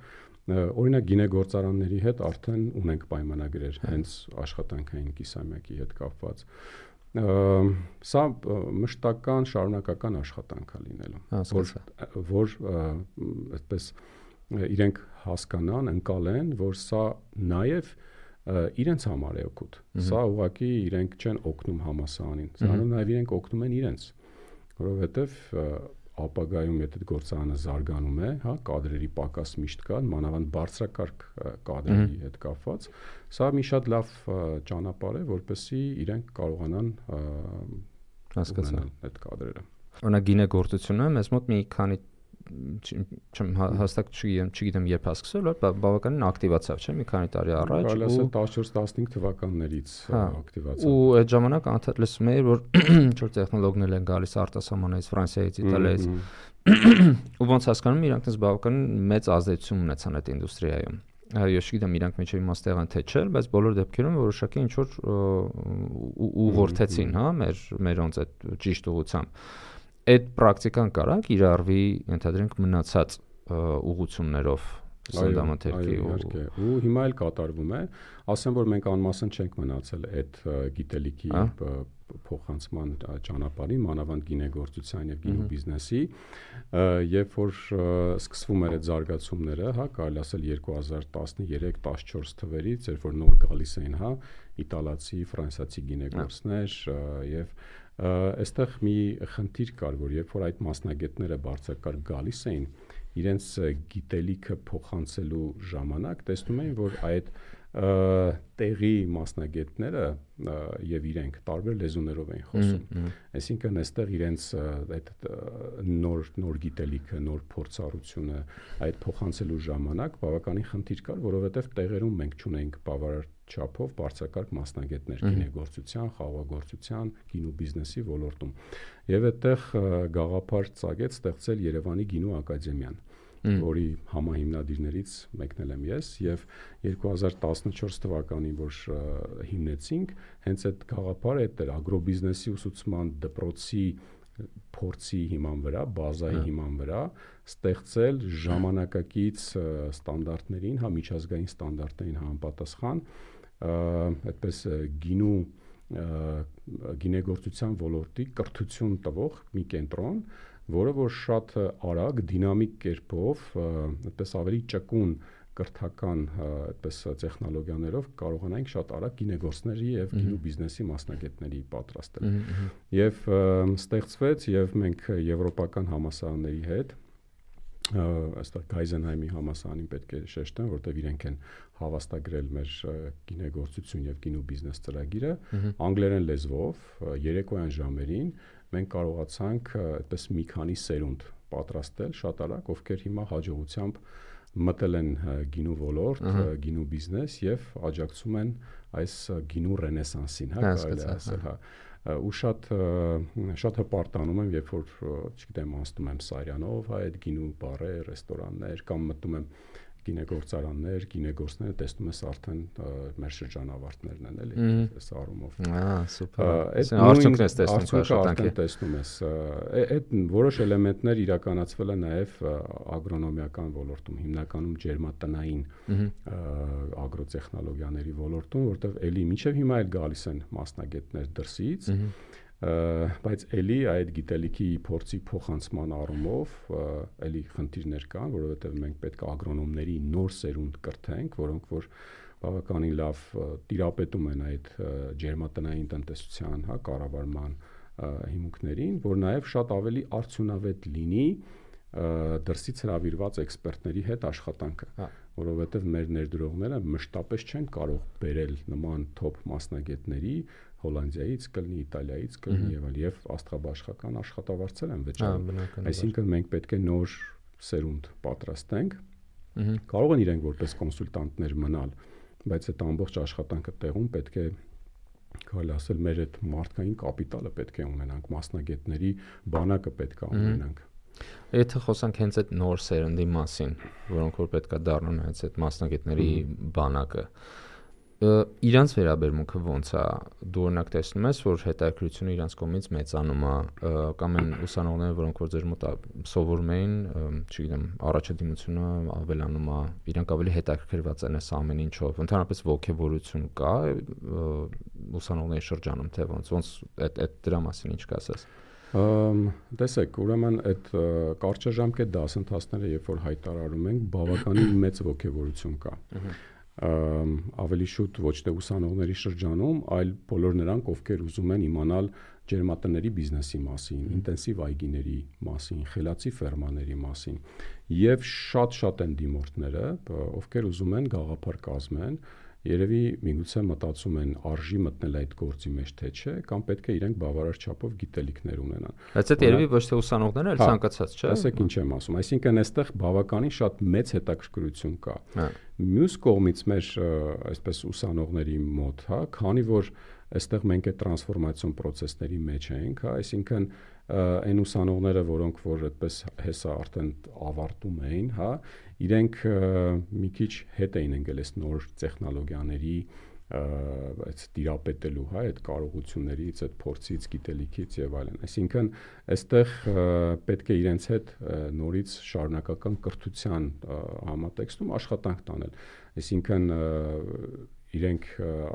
օրինակ գինեգործարանների հետ արդեն ունենք պայմանագրեր հենց աշխատանքային կիսամյակի հետ կապված։ Սա մշտական շարունակական աշխատանք է լինելու, որ որ այդպես իրենք հասկանան, ընկալեն, որ սա նաև իրենց համար է օգուտ։ Սա ուղղակի իրենք չեն օգնում համասարանին, սրանով նաև իրենք օգնում են իրենց, որովհետև ապագայում եթե գործարանը զարգանում է, հա, կադրերի պակաս միշտ կա, մանավանդ բարձրակարգ կադրերի հետ կապված, սա մի շատ լավ ճանապարհ է, որպեսզի իրենք կարողանան հասկանալ այդ կադրերը։ Օրինակ գինեգործությունը մեզ մոտ մի քանի չեմ հաստատ չգիտեմ, չգիտեմ երբ է սկսել, որ բավականին ակտիվացավ, չէ՞, մի քանի տարի առաջ ու տասնչորս տասնհինգ թվականներից ակտիվացավ։ Ու այդ ժամանակ անդադ լսում էի, որ ինչ որ տեխնոլոգներ են գալիս արտասահմանից, Ֆրանսիայից, Իտալիայից։ Ու ոնց հասկանում իրանք դες բավականին մեծ ազդեցություն ունեցան այդ ինդուստրիայում։ Ես չգիտեմ իրանք մեջ իմաստեղ են թե չէ, բայց բոլոր դեպքերում որոշակի ինչ որ ուղղորդեցին, հա, մեր մերոնց այդ ճիշտ ուղղությամբ։ Այդ պրակտիկան կարա կիրառվի ընդհանրենք մնացած ուղղություններով սննդամթերքի ու հիմա էլ կատարվում է, ասեմ որ մենք անմասն չենք մնացել այդ գիտելիքի փոխանցման ճանապարհին, մանավանդ գինեգործության եւ գինոբիզնեսի, երբ որ սկսվում էր այդ զարգացումները, հա, կարելի ասել երկու հազար տասներեք տասնչորս թվերից, երբ որ նոր գալիս էին, հա, իտալացի, ֆրանսիացի գինեգործներ եւ այստեղ մի խնդիր կար, որ երբ որ այդ մասնագետները բարձրակարգ գալիս էին, իրենց գիտելիքը փոխանցելու ժամանակ տեսնում էին, որ այդ տեղի մասնագետները եւ իրենք տարբեր լեզուներով էին խոսում։ Այսինքն այստեղ իրենց այդ նոր նոր գիտելիքը, նոր փորձառությունը այդ փոխանցելու ժամանակ բավականին խնդիր կար, որովհետեւ տեղերում մենք չունենք բավարար չափով բարձրակարգ մասնագետներ գինեգործության, խաղաղագործության, գինու բիզնեսի ոլորտում։ Եվ այդտեղ գաղափար ծագեց ստեղծել Երևանի գինու ակադեմիան, որի համահիմնադիրներից մեկն եմ ես, եւ երկու հազար տասնչորս թվականին, որ հիմնեցինք, հենց այդ գաղափարը այդ էր ագրոբիզնեսի ուսուցման դպրոցի փորձի հիման վրա, բազայի հիման վրա ստեղծել ժամանակակից ստանդարտներին, հա միջազգային ստանդարտներին համապատասխան, այդպես գինու գինեգործության ոլորտի կրթություն տվող մի կենտրոն, որը որ շատ արագ, դինամիկ կերպով, այդպես ավելի ճկուն կրթական այդպես տեխնոլոգիաներով կարողանանք շատ արագ գինեգործների եւ գինու բիզնեսի մասնագետների պատրաստել։ Եվ ստեղծվեց եւ մենք եվրոպական համալսարանների հետ այստեղ Գայզենհայմի համալսարանին պետք է շեշտեմ, որտեղ իրենք են հավաստագրել մեր գինեգործություն եւ գինու բիզնես ծրագիրը, անգլերեն լեզվով, երեկոյան ժամերին մենք կարողացանք այդպես մի քանի սերունդ պատրաստել շատ արագ, ովքեր հիմա հաջողությամբ մտել են գինու ոլորտ, գինու բիզնես եւ աջակցում են այս գինու ռենեսանսին, հա, կարելի է ասել, հա։ Ու շատ շատ հպարտանում եմ, երբ որ, չգիտեմ, անցնում եմ Սարյանով, հա, այդ գինու բարեր, ռեստորաններ, կամ մտնում եմ գինեգործարաններ, գինեգործները տեսնում ես արդեն մեր շրջանավարտներն են, էլի, այս առումով։ Ահա, սուպեր։ Այս արդյունքն ես տեսնում աշխատանքի։ Տեսնում ես, այդ որոշ էլեմենտներ իրականացվել են նաև ագրոնոմիական ոլորտում, հիմնականում ջերմատնային ագրոտեխնոլոգիաների ոլորտում, որտեղ էլի մինչև հիմա էլ գալիս են մասնագետներ դրսից, բայց էլի այդ գիտելիքի փորձի փոխանցման առումով էլի խնդիրներ կան, որովհետև մենք պետք է ագրոնոմների նոր սերունդ կրթենք, որոնք որ բավականին լավ տիրապետում են այդ ջերմատնային տնտեսության, հա, կառավարման հիմունքներին, որ նաև շատ ավելի արդյունավետ լինի դրսից հրավիրված էքսպերտների հետ աշխատանքը, որովհետև մեր ներդրողները մշտապես չեն կարող բերել նման թոփ մասնագետների Հոլանդիայից կլինի, Իտալիայից կլինի եւ այլ եւ աստղաբաշխական աշխատավարձեր են վճարում։ Այսինքն մենք պետք է նոր սերունդ պատրաստենք։ Կարող են իրենք որպես կոնսուլտանտներ մնալ, բայց այդ ամբողջ աշխատանքը տեղում պետք է կարելի ասել մեր այդ մարդկային կապիտալը պետք է ունենանք, մասնագետների բանակը պետք է ունենանք։ Եթե խոսանք հենց այդ նոր սերնդի մասին, որոնք որ պետք է դառնան հենց այդ մասնագետների բանակը, իրանց վերաբերմունքը ոնց է, դու օրինակ տեսնում ես, որ հետաքրքրությունը իրանց կողմից մեծանում է, կամ են ուսանողները, որոնք որ ձեր մոտ սովորում էին, չգիտեմ, առաջադիմությունը ավելանում է, իրանք ավելի հետաքրքրված են այս ամեն ինչով, ընդհանրապես ոգևորություն կա ուսանողների շրջանում, թե ոնց, ոնց այդ այդ դրա մասին ինչ կասես։ Տեսեք, ուրեմն այդ կարճաժամկետ դասընթացները, երբ որ հայտարարում ենք, բավականին մեծ ոգևորություն կա։ Ավելի շուտ ոչ թե ուսանողների շրջանում, այլ բոլոր նրանք, ովքեր ուզում են իմանալ ջերմատների բիզնեսի մասին, ինտենսիվ այգիների մասին, խելացի ֆերմաների մասին, եւ շատ-շատ են դիմորդները, ովքեր ուզում են գաղափար կազմեն, երևի միգուցե մտածում են արժի մտնել այդ գործի մեջ թե չէ, կամ պետք է իրենք բավարար չափով գիտելիքներ ունենան։ Բայց այդ երևի ոչ թե ուսանողները, այլ ցանկացած, չէ՞։ Ասեք ինչ եմ ասում, այսինքն այստեղ բավականին շատ մեծ հետաքրքրություն կա։ Մյուս կողմից մեր այսպես ուսանողների մոտ, հա, քանի որ այստեղ մենք այդ տրանսֆորմացիոն process-ների մեջ ենք, հա, այսինքն այն ուսանողները, որոնք որ այդպես հեսա արդեն ավարտում էին, հա, իրենք մի քիչ հետ էին ընկել այս նոր տեխնոլոգիաների այդ տիրապետելու, հա, այդ կարողություններից, այդ փորձից, գիտելիքից եւ այլն։ Այսինքն այստեղ պետք է իրենց հետ նորից շարունակական կրթության համատեքստում աշխատանք տանել։ Այսինքն իրենք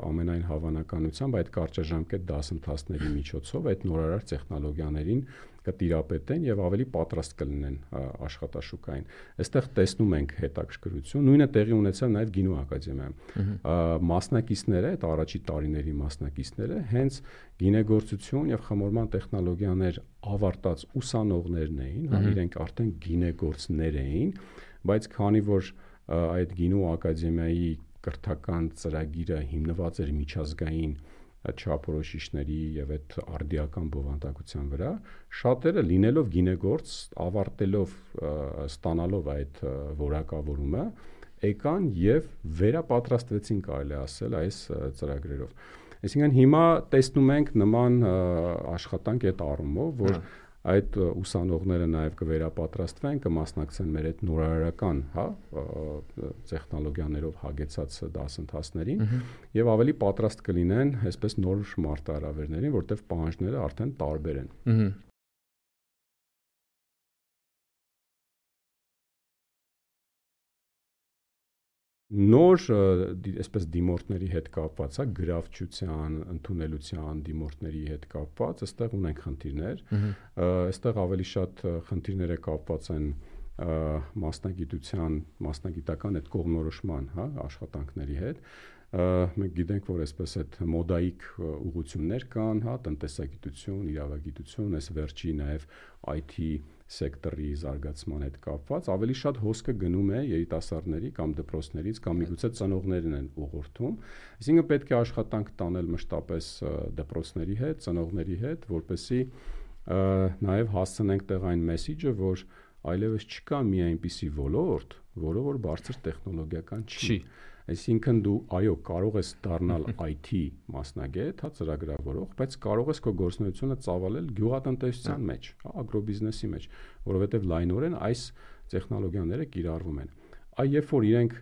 ամենայն հավանականությամբ այդ կարճաժամկետ դասընթացների միջոցով այդ նորարար տեխնոլոգիաներին կտիրապետեն եւ ավելի պատրաստ կլինեն աշխատաշուկային։ Այստեղ տեսնում ենք հետաքրքրություն, նույնը տեղի ունեցավ նաեւ Գինու ակադեմիայում։ Մասնակիցները, այդ առաջի տարիների մասնակիցները հենց գինեգործություն եւ խմորման տեխնոլոգիաներ ավարտած ուսանողներն էին, հա, իրենք արդեն գինեգործներ էին, բայց քանի որ այդ Գինու ակադեմիայի կրթական ծրագիրը հիմնված էր միջազգային չափորոշիչների եւ այդ արդիական բովանդակության վրա, շատերը լինելով գինեգործ, ավարտելով ստանալով այդ որակավորումը, եկան եւ վերապատրաստվեցին, կարելի ասել, այս ծրագրերով։ Այսինքն հիմա տեսնում ենք նման աշխատանք այդ առումով, որ այդ ուսանողները նաև կվերապատրաստվեն, կմասնակցեն մեր այդ նորարարական, հա, տեխնոլոգիաներով հագեցած դասընթացներին եւ ավելի պատրաստ կլինեն այսպես նոր մարտահրավերներին, որտեղ պահանջները արդեն տարբեր են։ Նոր այսպես դիմորդների հետ կապված, հա, գրավչության, ընդունելության դիմորդների հետ կապված, այստեղ ունենք խնդիրներ։ Այստեղ ավելի շատ խնդիրները կապված են մասնագիտության, մասնագիտական այդ կողմնորոշման, հա, աշխատանքների հետ։ Մենք գիտենք, որ այսպես այդ մոդայիկ ուղղություններ կան, հա, տնտեսագիտություն, իրավագիտություն, այս վերջի նաև I T սեկտորի զարգացման հետ կապված, ավելի շատ հոսքը գնում է երիտասարդների կամ դպրոցներից կամ միգուցե ծնողներն են ուղղորդում։ Այսինքն պետք է աշխատանք տանել մշտապես դպրոցների հետ, ծնողների հետ, որպեսզի նաև հասցնենք տեղ այն մեսիջը, որ այլևս չկա մի այնպիսի ոլորտ, որը որ բարձր տեխնոլոգիական չի։ Այսինքն դու այո կարող ես դառնալ I T մասնագետ, հա, ծրագրավորող, բայց կարող ես քո գործունեությունը ծավալել գյուղատնտեսության մեջ, հա, ագրոբիզնեսի մեջ, որովհետև լայնորեն այս տեխնոլոգիաները կիրառվում են։ Այ երբ որ իրենք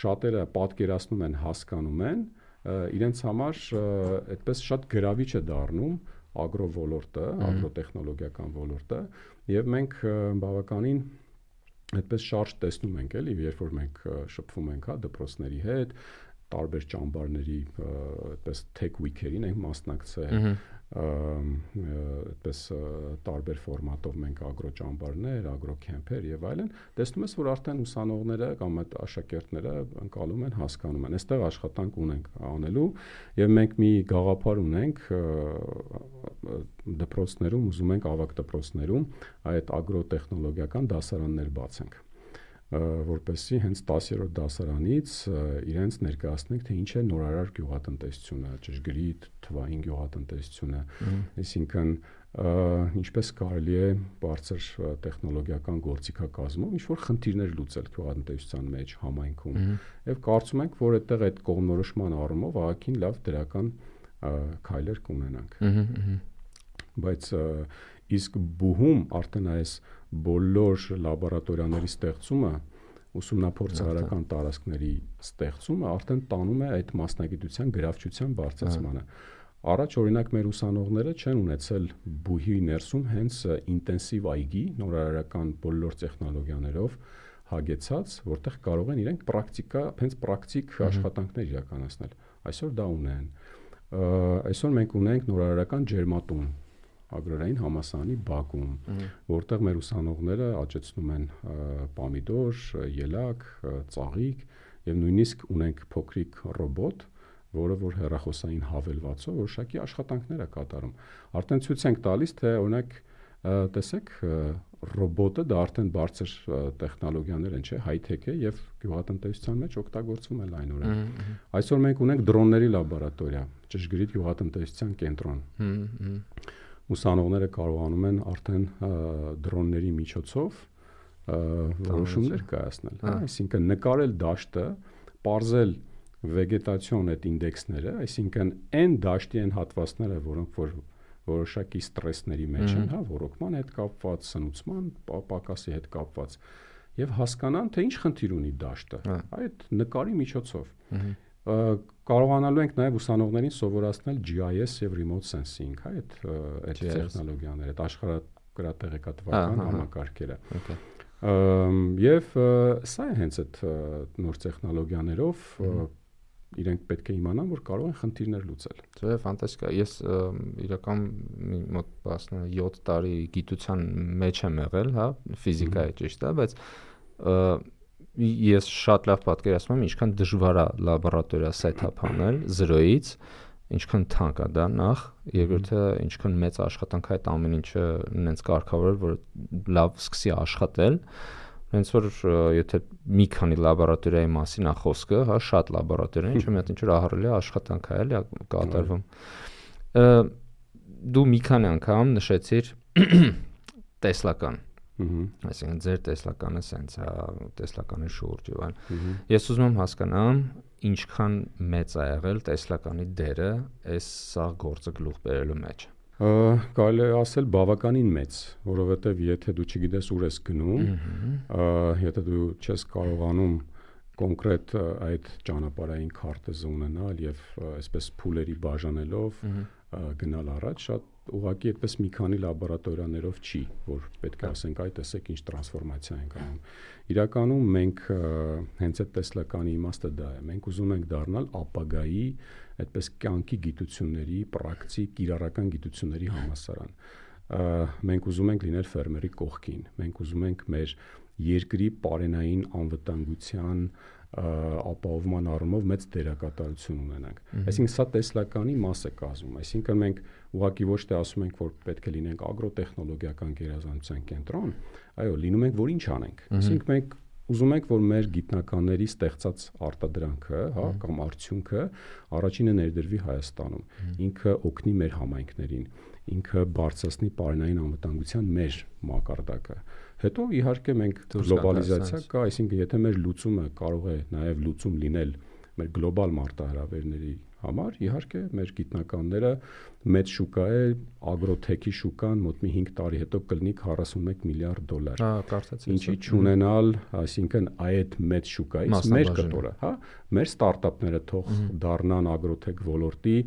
շատերը պատկերացնում են, հասկանում են, իրենց համար այդպես շատ գրավիչ է դառնում ագրո ոլորտը, ագրոտեխնոլոգիական ոլորտը, եւ մենք բավականին այդպես շարժ տեսնում ենք, էլի, երբ որ մենք շփվում ենք, հա, դպրոցների հետ, տարբեր ճամբարների, այդպես tech week-երին ենք մասնակցել, այդպես տարբեր ֆորմատով մենք ագրո ճամբարներ, ագրո քեմփեր եւ այլն, տեսնում ես, որ արդեն ուսանողները կամ այդ աշակերտները ընկալում են, հասկանում են, այստեղ աշխատանք ունենք անելու եւ մենք մի գաղափար ունենք դպրոցներում, ուզում ենք ավագ դպրոցներում այդ ագրոտեխնոլոգիական դասարաններ բացենք, որպեսզի հենց տասերորդ դասարանից իրենց ներկայացնենք, թե ինչ է նորարար գյուղատնտեսությունը, ճշգրիտ թվային գյուղատնտեսությունը, այսինքն ինչպես կարելի է բարձր տեխնոլոգիական գործիքակազմով ինչ որ խնդիրներ լուծել գյուղատնտեսության մեջ, համայնքում, եւ կարծում ենք, որ այդտեղ այդ կողմնորոշման առումով ահագին լավ դրական քայլեր կունենանք։ Բայց իսկ բուհում արդեն այս բոլոր լաբորատորիաների ստեղծումը, ուսումնափորձարարական տարածքների ստեղծումը արդեն տանում է այդ մասնագիտության գրավչության բարձրացմանը։ Առաջ օրինակ մեր ուսանողները չեն ունեցել բուհի ներսում հենց ինտենսիվ այգի, նորարարական բոլոր տեխնոլոգիաներով հագեցած, որտեղ կարող են իրենք պրակտիկա, հենց պրակտիկ աշխատանքներ իրականացնել։ Այսօր դա ունեն։ Այսօր մենք ունենք նորարարական ջերմատուն ագրարային համալսարանի բակում, որտեղ մեր ուսանողները աճեցնում են պամիդոր, ելակ, ծաղիկ եւ նույնիսկ ունենք փոքրիկ ռոբոտ, որը որ հեռախոսային հավելվածով որոշակի աշխատանքներ է կատարում։ Արդեն ցույց ենք տալիս, թե օրինակ տեսեք ռոբոտը դա արդեն բարձր տեխնոլոգիաներ են, չէ, high-tech է եւ գյուղատնտեսության մեջ օգտագործվում է լայնորեն։ Այսօր մենք ունենք դրոնների լաբորատորիա, ճշգրիտ գյուղատնտեսության կենտրոն։ Ուսանողները կարողանում են արդեն դրոնների միջոցով որոշումներ կայացնել, հա, այսինքն նկարել դաշտը, պարզել վեգետացիոն այդ ինդեքսները, այսինքն այն դաշտի են հատվածները, որոնք որ որոշակի ստրեսների մեջ են, հա, ռոռոկման հետ կապված, սնուցման պակասի հետ կապված, եւ հասկանան, թե ինչ խնդիր ունի դաշտը, այդ նկարի միջոցով։ Կարողանալու ենք նաև ուսանողներին սովորացնել G I S եւ remote sensing, հա, այդ այդ տեխնոլոգիաները, այդ աշխարհագրատեղեկատվական համակարգերը։ Եվ սա է հենց այդ նոր տեխնոլոգիաներով իրենք պետք է իմանան, որ կարող են խնդիրներ լուծել։ Դա ֆանտաստիկ է։ Ես իրական մոտ յոթ տարի գիտության մեջ եմ եղել, հա, ֆիզիկայի ճիշտ է, բայց ես շատ լավ պատկերացնում եմ ինչքան դժվար է լաբորատորիա սեթափ անել զրոյից, ինչքան թանկ է դա նախ, երկրորդը ինչքան մեծ աշխատանք է այդ ամեն ինչը նենց կարգավորել, որ լավ սկսի աշխատել։ Հենց որ եթե մի քանի լաբորատորիայի մասին է խոսքը, հա, շատ լաբորատորիա, ինչը մի հատ ինչ-որ ահռելի աշխատանք է էլի կատարվում։ Դու մի քանի անգամ նշեցիր տեսլական։ Այսինքն ձեր տեսլականը սենց է, տեսլականի շուրջ եւ այլն։ Ես ուզում եմ հասկանամ ինչքան մեծ է եղել տեսլականի դերը այս սա գործը գլուխ բերելու մեջ։ Կարելի է ասել բավականին մեծ, որովհետեւ եթե դու չգիտես ուր ես գնում, եթե դու չես կարողանում կոնկրետ այդ ճանապարհային քարտեզը ունենալ եւ այսպես փուլերի բաժանելով գնալ առաջ, շատ ուղղակի այդպես մի քանի լաբորատորիաներով չի, որ պետք է ասենք այ տեսեք ինչ տրանսֆորմացիա ենք անում։ Իրականում մենք հենց այդ տեսլականի իմաստը դա է։ Մենք ուզում ենք դառնալ ապագայի այդպես կյանքի գիտությունների, պրակտիկ, կիրառական գիտությունների համալսարան։ Մենք ուզում ենք լինել ֆերմերի կողքին։ Մենք ուզում ենք մեր երկրի պարենային անվտանգության ապահովման առումով մեծ դերակատարություն ունենանք։ Այսինքն սա տեսլականի մաս է կազմում։ Այսինքն մենք ուղղակի ոչ թե ասում ենք, որ պետք է լինենք ագրոտեխնոլոգիական գերազանցության կենտրոն, այո, լինում ենք, որ ինչ անենք։ Այսինքն մենք ուզում ենք, որ մեր գիտնականների ստեղծած արտադրանքը, հա, կամ արդյունքը առաջինը ներդրվի Հայաստանում։ Ինքը օգնի մեր համայնքներին, ինքը բարձրացնի պարենային անվտանգության մեր մակարդակը։ Հետո իհարկե մենք գլոբալիզացիա կա, այսինքն եթե մեր լուծումը կարող է նաև լուծում լինել մեր գլոբալ մարտահրավերների համար, իհարկե մեր գիտնականները մեծ շուկա է, ագրոթեքի շուկան մոտ մի հինգ տարի հետո կլինի քառասունմեկ միլիարդ դոլար։ Հա, կարծացի։ Ինչի չունենալ, այսինքն այդ մեծ շուկայից մեր կտորը, հա, մեր ստարտափները թող դառնան ագրոթեք ոլորտի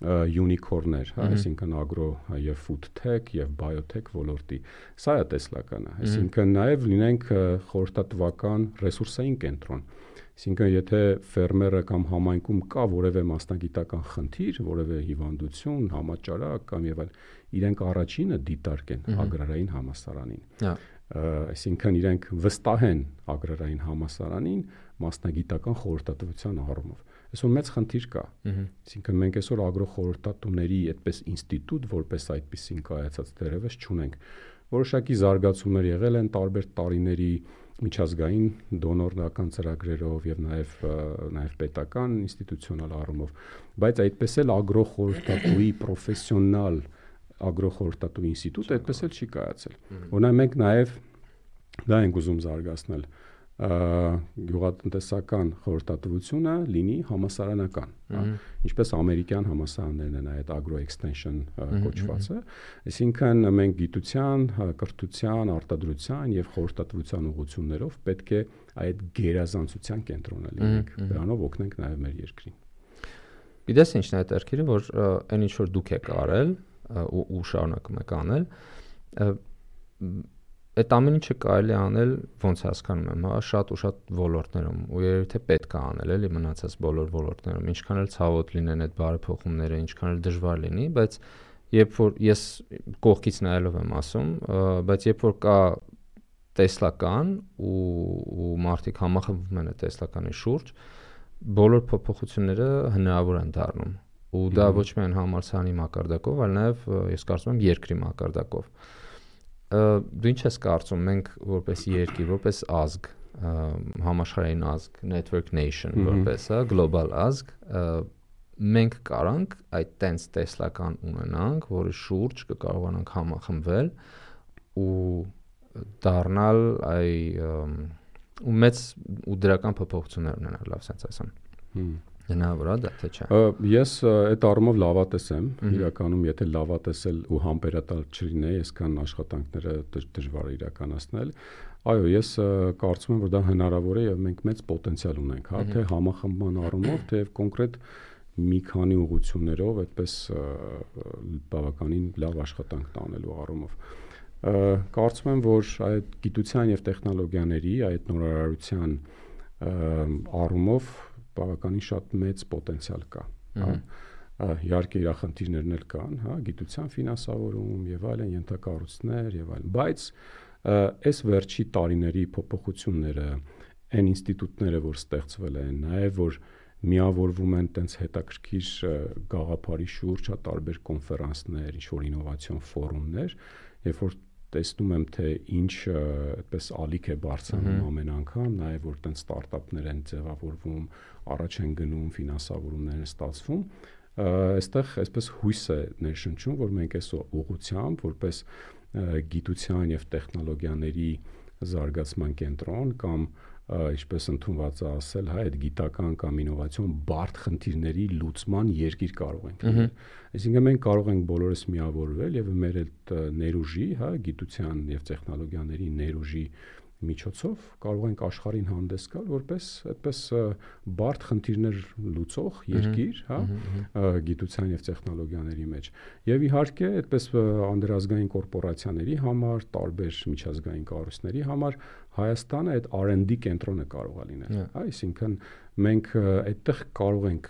յունիկորներ, հա, այսինքն ագրո եւ ֆուդ թեք եւ բայոթեք ոլորտի։ Սա է տեսլականը, այսինքն նաեւ լինենք խորհրդատվական ռեսուրսային կենտրոն։ Այսինքն եթե ֆերմերը կամ համայնքում կա որևէ մասնագիտական խնդիր, որևէ հիվանդություն, համաճարակ կամ եւ այլ, իրենք առաջինը դիտարկեն ագրարային համալսարանին։ Այսինքն իրենք վստահեն ագրարային համալսարանին մասնագիտական խորհրդատվության առումով։ Այսօր մեծ խնդիր կա։ Այսինքն մենք այսօր ագրոխորհրդատուների այդպես ինստիտուտ որպես այդպեսին կայացած դերևս չունենք։ Որոշակի զարգացումներ եղել են տարբեր տարիների միջազգային դոնորական ծրագրերով եւ նաեւ նաեւ պետական ինստիտուցիոնալ առումով, բայց այդպես էլ ագրոխորհրդատուի պրոֆեսիոնալ ագրոխորհրդատու ինստիտուտ այդպես էլ չի կայացել։ Օրինակ մենք նաեւ դա ենք ուզում զարգացնել գյուղատնտեսական խորհրդատվությունը լինի համասարանական, ինչպես ամերիկյան համասարաններն են այդ agro extension կոչվածը, այսինքն մենք գիտության, կրթության, արտադրության եւ խորհրդատվության ուղղություններով պետք է այդ գերազանցության կենտրոնը լինենք, դրանով օգնենք նաեւ մեր երկրին։ Գիտես ինչն է այդ երկիրը, որ այն ինչ որ դուք եք արել ու, ու շարունակում եք անել, այդ ամեն ինչը կարելի է անել, ոնց հասկանում եմ, հա, շատ ու շատ ոլորտներում, ու երևի թե պետք է անել, էլի մնացած բոլոր ոլորտներում, ինչքան էլ ցավոտ լինեն այդ բարեփոխումները, ինչքան էլ դժվար լինի, բայց երբ որ ես կողքից նայելով եմ ասում, բայց երբ որ կա տեսլական ու ու մարդիկ համախմբվում են այդ տեսլականի շուրջ, բոլոր փոփոխությունները հնարավոր են դառնում։ Ու դա ոչ միայն համալսարանի մակարդակով, այլ նաև ես կարծում եմ երկրի մակարդակով։ Դու ինչ ես կարծում, մենք որպես երկիր, որպես ազգ, համաշխարհային ազգ, network nation, որպես global ազգ, մենք կարանք այդ տենց տեսլական ունենանք, որի շուրջ կկարողանանք համախմբվել ու դառնալ այ ու մեծ ու դրական փոփոխություններ ունենալ, լավ sense ասեմ։ Հնարավոր է դա թե չէ։ Ես այդ առումով լավատես եմ, իրականում եթե լավատեսել ու համբերատար չլինեի, այսքան աշխատանքները դժվար է իրականացնել։ Այո, ես կարծում եմ, որ դա հնարավոր է եւ մենք մեծ պոտենցիալ ունենք, հա, թե համախմբման առումով, թե կոնկրետ մի քանի ուղղություններով այդպես բավականին լավ աշխատանք տանելու առումով։ Կարծում եմ, որ այդ գիտության եւ տեխնոլոգիաների այդ նորարարության առումով բավականին շատ մեծ պոտենցիալ կա, հա։ Իհարկե իր խնդիրներն էլ կան, հա, գիտության ֆինանսավորում եւ այլն, ենթակառույցներ եւ այլն, բայց այս վերջի տարիների փոփոխությունները, այն ինստիտուտները, որ ստեղծվել են, նաեւ որ միավորվում են տենց հետաքրքիր գաղափարի շուրջ, հա, տարբեր կոնֆերանսներ, ինչ-որ ինովացիոն ֆորումներ, երբ որ տեսնում եմ, թե ինչ այդպես ալիք է բարձրանում ամեն անգամ, նաև որ տենց ստարտափներ են ձևավորվում, առաջ են գնում, ֆինանսավորումներ են ստացվում, այստեղ այսպես հույս է ներշնչում, որ մենք այս ուղղությամբ, որպես գիտության եւ տեխնոլոգիաների զարգացման կենտրոն կամ ինչպես ընդունված է ասել, հա, այդ գիտական կամ ինովացիոն բարդ խնդիրների լուծման երկիր կարող ենք լինել։ Այսինքն մենք կարող ենք բոլորս միավորվել եւ մեր այդ ներուժի, հա, գիտության եւ տեխնոլոգիաների ներուժի միջոցով կարող ենք աշխարհին հանդես գալ որպես այդպես բարդ խնդիրներ լուծող երկիր, հա, գիտության եւ տեխնոլոգիաների մեջ։ Եվ իհարկե, այդպես անդրազգային կորպորացիաների համար, տարբեր միջազգային կառույցների համար Հայաստանը այդ R and D կենտրոնը կարող է լինել։ Այսինքն մենք այդտեղ կարող ենք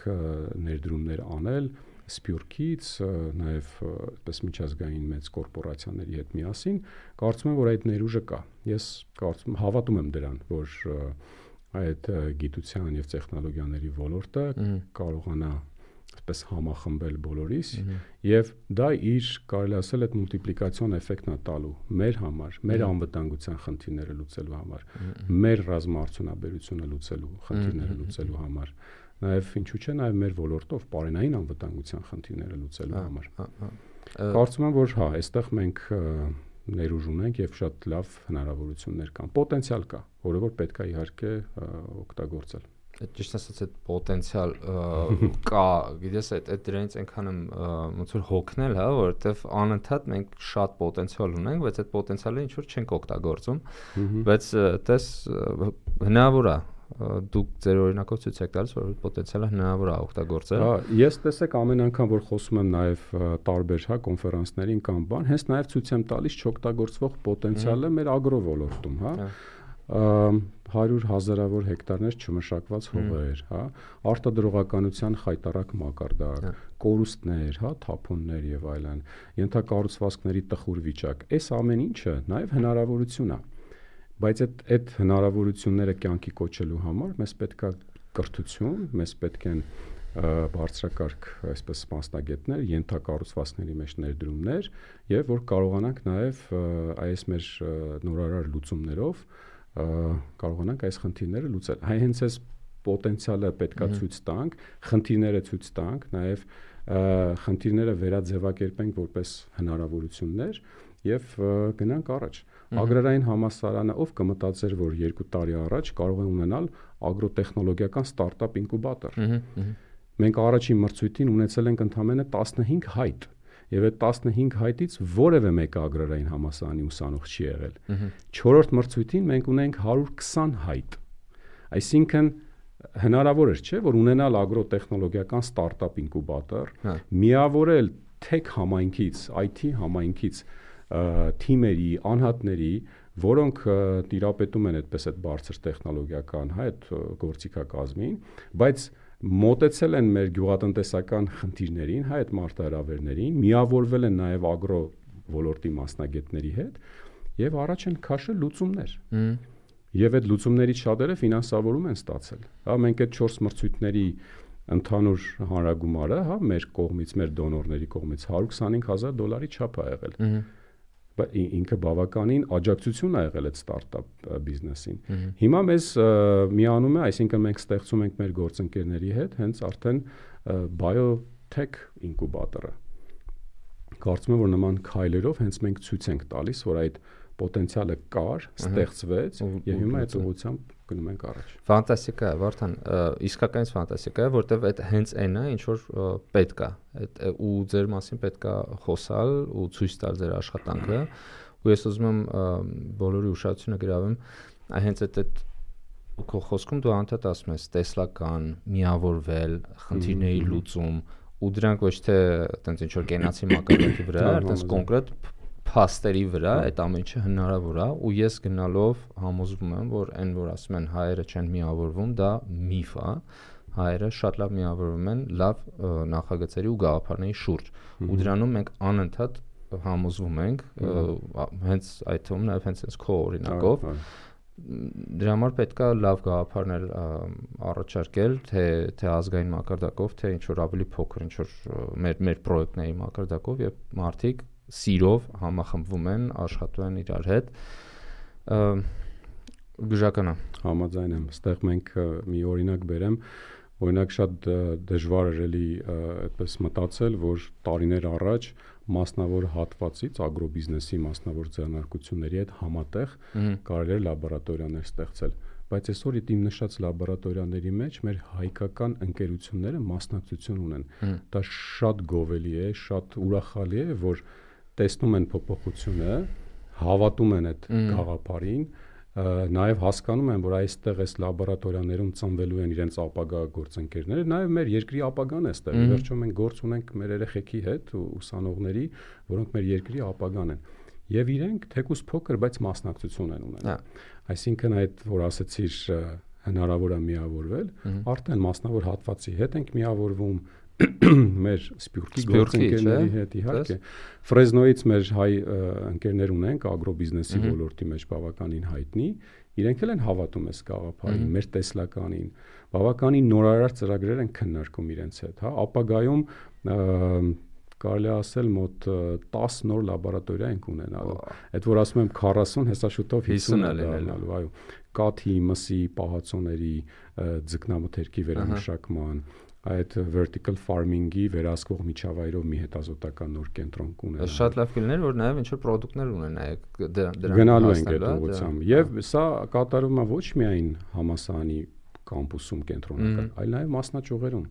ներդրումներ անել Սփյուռքից, նաև այդպես միջազգային մեծ կորպորացիաների հետ միասին, կարծում եմ, որ այդ ներուժը կա։ Ես կարծում հավատում եմ դրան, որ այդ գիտության եւ տեխնոլոգիաների ոլորտը կարողանա այսպես համախմբել բոլորիս եւ դա իր կարելի ասել այդ մուլտիպլիկացիոն էֆեկտն է տալու մեր համար, մեր անվտանգության խնդիրները լուծելու համար, մեր ռազմաարդյունաբերությունը լուծելու խնդիրները լուծելու համար, նաեւ ինչու՞ չէ նաեւ մեր ոլորտով բարենային անվտանգության խնդիրները լուծելու համար։ Կարծում եմ, որ հա, այստեղ մենք ներուժ ունենք եւ շատ լավ հնարավորություններ կան, պոտենցիալ կա, որը որ պետք է իհարկե օգտագործել։ Ճիշտ ասած այդ պոտենցիալ կա, գիտես, այդ այդ դրանից այնքան եմ ոնց որ հոգնել, հա, որովհետեւ անընդհատ մենք շատ պոտենցիալ ունենք, բայց այդ պոտենցիալը ինչ որ չենք օգտագործում, բայց դες հնարավոր է դուք ձեր օրինակով ցույց եք տալիս, որ պոտենցիալը հնարավոր է օգտագործել։ Հա, ես տեսեք ամեն անգամ որ խոսում եմ նաեւ տարբեր, հա, կոնֆերանսներին կամ բան, հենց նաեւ ցույց եմ տալիս չօգտագործվող պոտենցիալը մեր ագրո ոլորտում, հա։ հարյուր հազարավոր հեկտարներ չմշակված հողեր, հա, արտադրողականության խայտարակ մակարդակ, կորուստներ, հա, թափոններ եւ այլն, ենթակառուցվածքների տխուր վիճակ, այս ամեն ինչը նաեւ հնարավորություն է, բայց այդ այդ հնարավորությունները կյանքի կոչելու համար մեզ պետք է կրթություն, մեզ պետք են բարձրակարգ այսպես մասնագետներ, ենթակառուցվածքների մեջ ներդրումներ եւ որ կարողանանք նաեւ այս մեր նորարար լուծումներով կարողանանք այս խնդիրները լուծել։ Հայ հենց այս պոտենցիալը պետքա ցույց տանք, խնդիրները ցույց տանք, նաև խնդիրները վերաձևակերպենք որպես հնարավորություններ եւ գնանք առաջ։ Ագրարային համալսարանը ով կմտածեր, որ երկու տարի առաջ կարող է ունենալ ագրոտեխնոլոգիական ստարտափ ինկուբատոր։ Մենք առաջին մրցույթին ունեցել ենք ընդամենը տասնհինգ հայտ։ Եվ այդ տասնհինգ հայտից որևէ մեկը ագրարային համալսարանի ուսանող չի եղել։ Չորրորդ մրցույթին մենք ունենք հարյուր քսան հայտ։ Այսինքն հնարավոր էր, չէ, որ ունենալ ագրոտեխնոլոգիական ստարտափ ինկուբատոր, միավորել tech համայնքից, I T համայնքից թիմերի, անհատների, որոնք տիրապետում են այդպես այդ բարձր տեխնոլոգիական, հա, այդ գործիքակազմին, բայց մոտեցել են մեր գյուղատնտեսական խնդիրներին, հա, այդ մարտահրավերներին, միավորվել են նաև ագրո ոլորտի մասնագետների հետ եւ առաջ են քաշել լուծումներ։ Եվ այդ լուծումներից շատերը ֆինանսավորում են ստացել։ Հա, մենք այդ չորս մրցույթների ընդհանուր հանրագումարը, հա, մեր կողմից, մեր դոնորների կողմից հարյուր քսանհինգ հազար դոլարի չափ է եղել։ Բայց ինքը բավականին աջակցություն է եղել այդ ստարտափ բիզնեսին։ Հիմա մեզ միանում է, այսինքն մենք ստեղծում ենք մեր գործընկերների հետ հենց արդեն biotech ինկուբատորը։ Կարծում եմ, որ նման քայլերով հենց մենք ցույց ենք տալիս, որ այդ պոտենցիալը կար, ստեղծվեց եւ հիմա այդ ուղղությամբ գնում ենք առաջ։ Ֆանտաստիկա է, Վարդան, իսկականից ֆանտաստիկա է, որտեվ այդ հենց այն է, ինչ որ պետք է, այդ ու ձեր մասին պետք է խոսալ ու ցույց տալ ձեր աշխատանքը, ու ես ուզում եմ բոլորի ուշադրությունը գրավեմ, հենց այդ այդ քո խոսքում դու անդադ ասում ես տեսլական, միավորվել, խնդիրների լուծում, ու դրանք ոչ թե այտենց ինչ որ կենացի մակարդակի վրա, այտենց կոնկրետ փաստերի վրա այդ ամեն ինչը հնարավոր է, ու ես գնալով համոզվում եմ, որ այն որ ասում են հայերը չեն միավորվում, դա միֆ է, հայերը շատ լավ միավորվում են լավ նախագծերի ու գաղափարների շուրջ ու դրանում մենք անընդհատ համոզվում ենք հենց այդ թվում նաև հենց այս քո օրինակով դրա համար պետք է լավ գաղափարներ առաջարկել թե թե ազգային մակարդակով թե ինչ որ ավելի փոքր ինչ որ մեր մեր պրոյեկտների մակարդակով եւ մարդիկ սիրով համախմբվում են աշխատում են իրար հետ գժականա համաձայն եմ այստեղ մենք մի օրինակ բերեմ օրինակ շատ դժվար էր էլի այդպես մտածել որ տարիներ առաջ մասնավոր հատվածից ագրոբիզնեսի մասնավոր ձեռնարկությունների հետ համատեղ կարելի էր լաբորատորիաներ ստեղծել բայց այսօր իմ նշած լաբորատորիաների մեջ մեր հայկական ընկերությունները մասնակցություն ունեն դա շատ գովելի է շատ ուրախալի է որ տեսնում են փոփոխությունը հավատում են այդ գաղափարին նաև հասկանում են որ այստեղ այս լաբորատորիաներում ծնվելու են իրենց ապագա գործընկերները նաև մեր երկրի ապագան է այստեղ վերջում մենք գործ ունենք մեր երեխեքի հետ ուսանողների որոնք մեր երկրի ապագան են եւ իրենք թեկուզ փոքր բայց մասնակցություն են ունենում այսինքն այդ որ ասեցիր հնարավոր է միավորվել արդեն մասնավոր հատվածի հետ ենք միավորվում մեր սպյուրքի գործընկերների հետ իհարկե Ֆրեզնոյից մեր հայ ընկերներ ունենք ագրոբիզնեսի ոլորտի մեջ բավականին հայտնի իրենք էլ են հավատում այս գաղափարին մեր տեսլականին բավականին նորարար ծրագրեր են քննարկում իրենց հետ հա ապագայում կարելի ասել մոտ տասը նոր լաբորատորիա ենք ունենալու այդ որ ասում եմ քառասուն հեսա շուտով հիսուն է լինելու այո կաթի մսի պահածոների ձկնամթերքի վերամշակման այդ vertical farming-ի վերահսկող միջավայրով մի հետազոտական նոր կենտրոն կունենա։ Շատ լավ կլիներ, որ նաև ինչ-որ պրոդուկտներ ունենայեք դրանք գնալու ենք այդ ուղղությամբ։ Եվ սա կատարվում է ոչ միայն համալսարանի կամպուսում կենտրոնական, այլ նաև մասնաճյուղերում։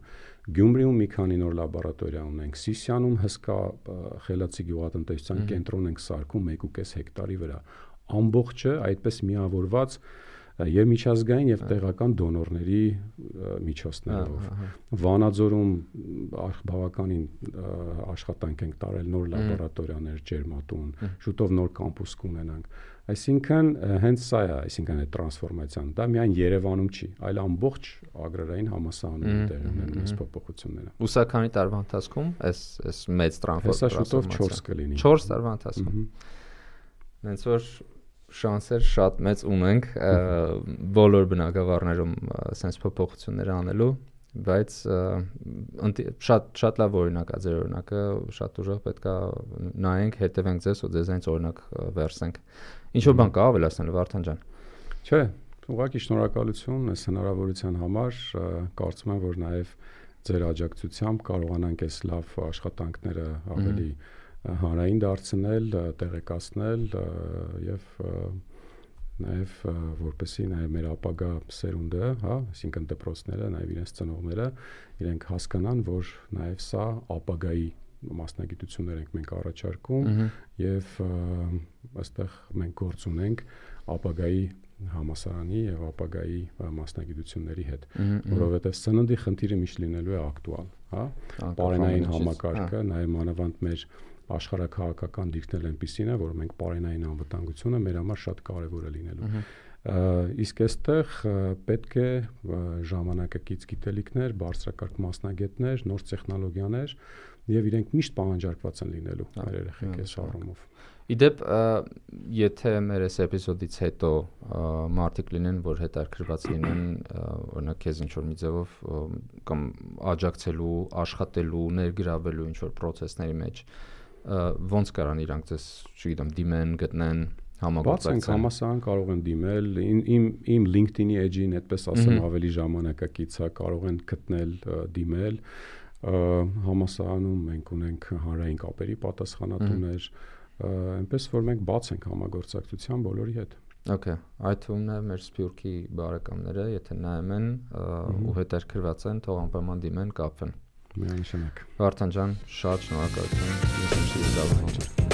Գյումրիում մի քանի նոր լաբորատորիա ունենք, Սիսիանում հսկա խելացի գյուղատնտեսության կենտրոն ենք սարքում մեկ ու կես հեկտարի վրա։ Ամբողջը այդպես միավորված եւ միջազգային եւ տեղական դոնորների միջոցներով Վանաձորում բավականին աշխատանք ենք տարել նոր լաբորատորիաներ ջերմատուն շուտով նոր կամպուս կունենանք այսինքն հենց սա է այսինքն այդ տրանսֆորմացիան դա միայն Երևանում չի այլ ամբողջ agrarային համալսարանում տեղ ունեն այս փոփոխությունները ուսականի տարվա ընթացքում այս այս մեծ տրանսֆորմացիա հեսա շուտով չորս կլինի չորս տարվա ընթացքում հենց որ շանսեր շատ մեծ ունենք բոլոր բնակավարներում sense փոփոխություններ անելու բայց շատ շատ լավ օրինակ է ձեր օրինակը շատ ուժեղ պետքա նայենք հետևենք ձեզ ու ձեզանից օրինակ վերցնենք ինչ որ բան կա ավելացնել Վարդան ջան չէ ուղղակի շնորհակալություն այս հնարավորության համար կարծում եմ որ նաև ձեր աջակցությամբ կարողանանք այս լավ աշխատանքները ավելի հանրային դարձնել, տեղեկացնել եւ նաեւ որպեսզի նաեւ մեր ապագա սերունդը, հա, այսինքն դպրոցները, նաեւ իրենց ծնողները իրենք հասկանան, որ նաեւ սա ապագայի մասնագիտություններ ենք մենք առաջարկում եւ այստեղ մենք գործ ունենք ապագայի համասարանի եւ ապագայի մասնագիտությունների հետ, որովհետեւ սննդի խնդիրը միշտ լինելու է ակտուալ, հա, պարենային համակարգը, նաեւ մանավանդ մեր աշխարհակահաղական դիրքն այնպեսին է, որ մենք պարենային անվտանգությունը մեր համար շատ կարևոր է լինելու։ Իսկ այստեղ պետք է ժամանակակից գիտելիքներ, բարձրակարգ մասնագետներ, նոր տեխնոլոգիաներ եւ իրենք միշտ պահանջարկված են լինելու մեր երեխեք այս առումով։ Իդեպ եթե մեր այս էպիզոդից հետո մարդիկ լինեն, որ հետաքրքրված լինեն, օրինակ քեզ ինչ որ մի ձևով կամ աջակցելու, աշխատելու, ներգրավելու ինչ որ process-ների մեջ ոնց կարան իրանք ձեզ, չգիտեմ, դիմեն, գտնեն, համագործակցեն։ Բացենք համասարան կարող են դիմել, իմ իմ LinkedIn-ի էջին, այդպես ասեմ, ավելի ժամանակակից է, կարող են գտնել, դիմել։ Համասարանում մենք ունենք հանրային կապերի պատասխանատուներ, այնպես որ մենք բաց ենք համագործակցության բոլորի հետ։ Okay, այդ թվում է մեր Սփյուռքի բարեկամները, եթե նայում են ու հետաքրքրված են, թող անպայման դիմեն, կապվեն։ Միանշանակ։ Վարդան ջան, շատ շնորհակալություն։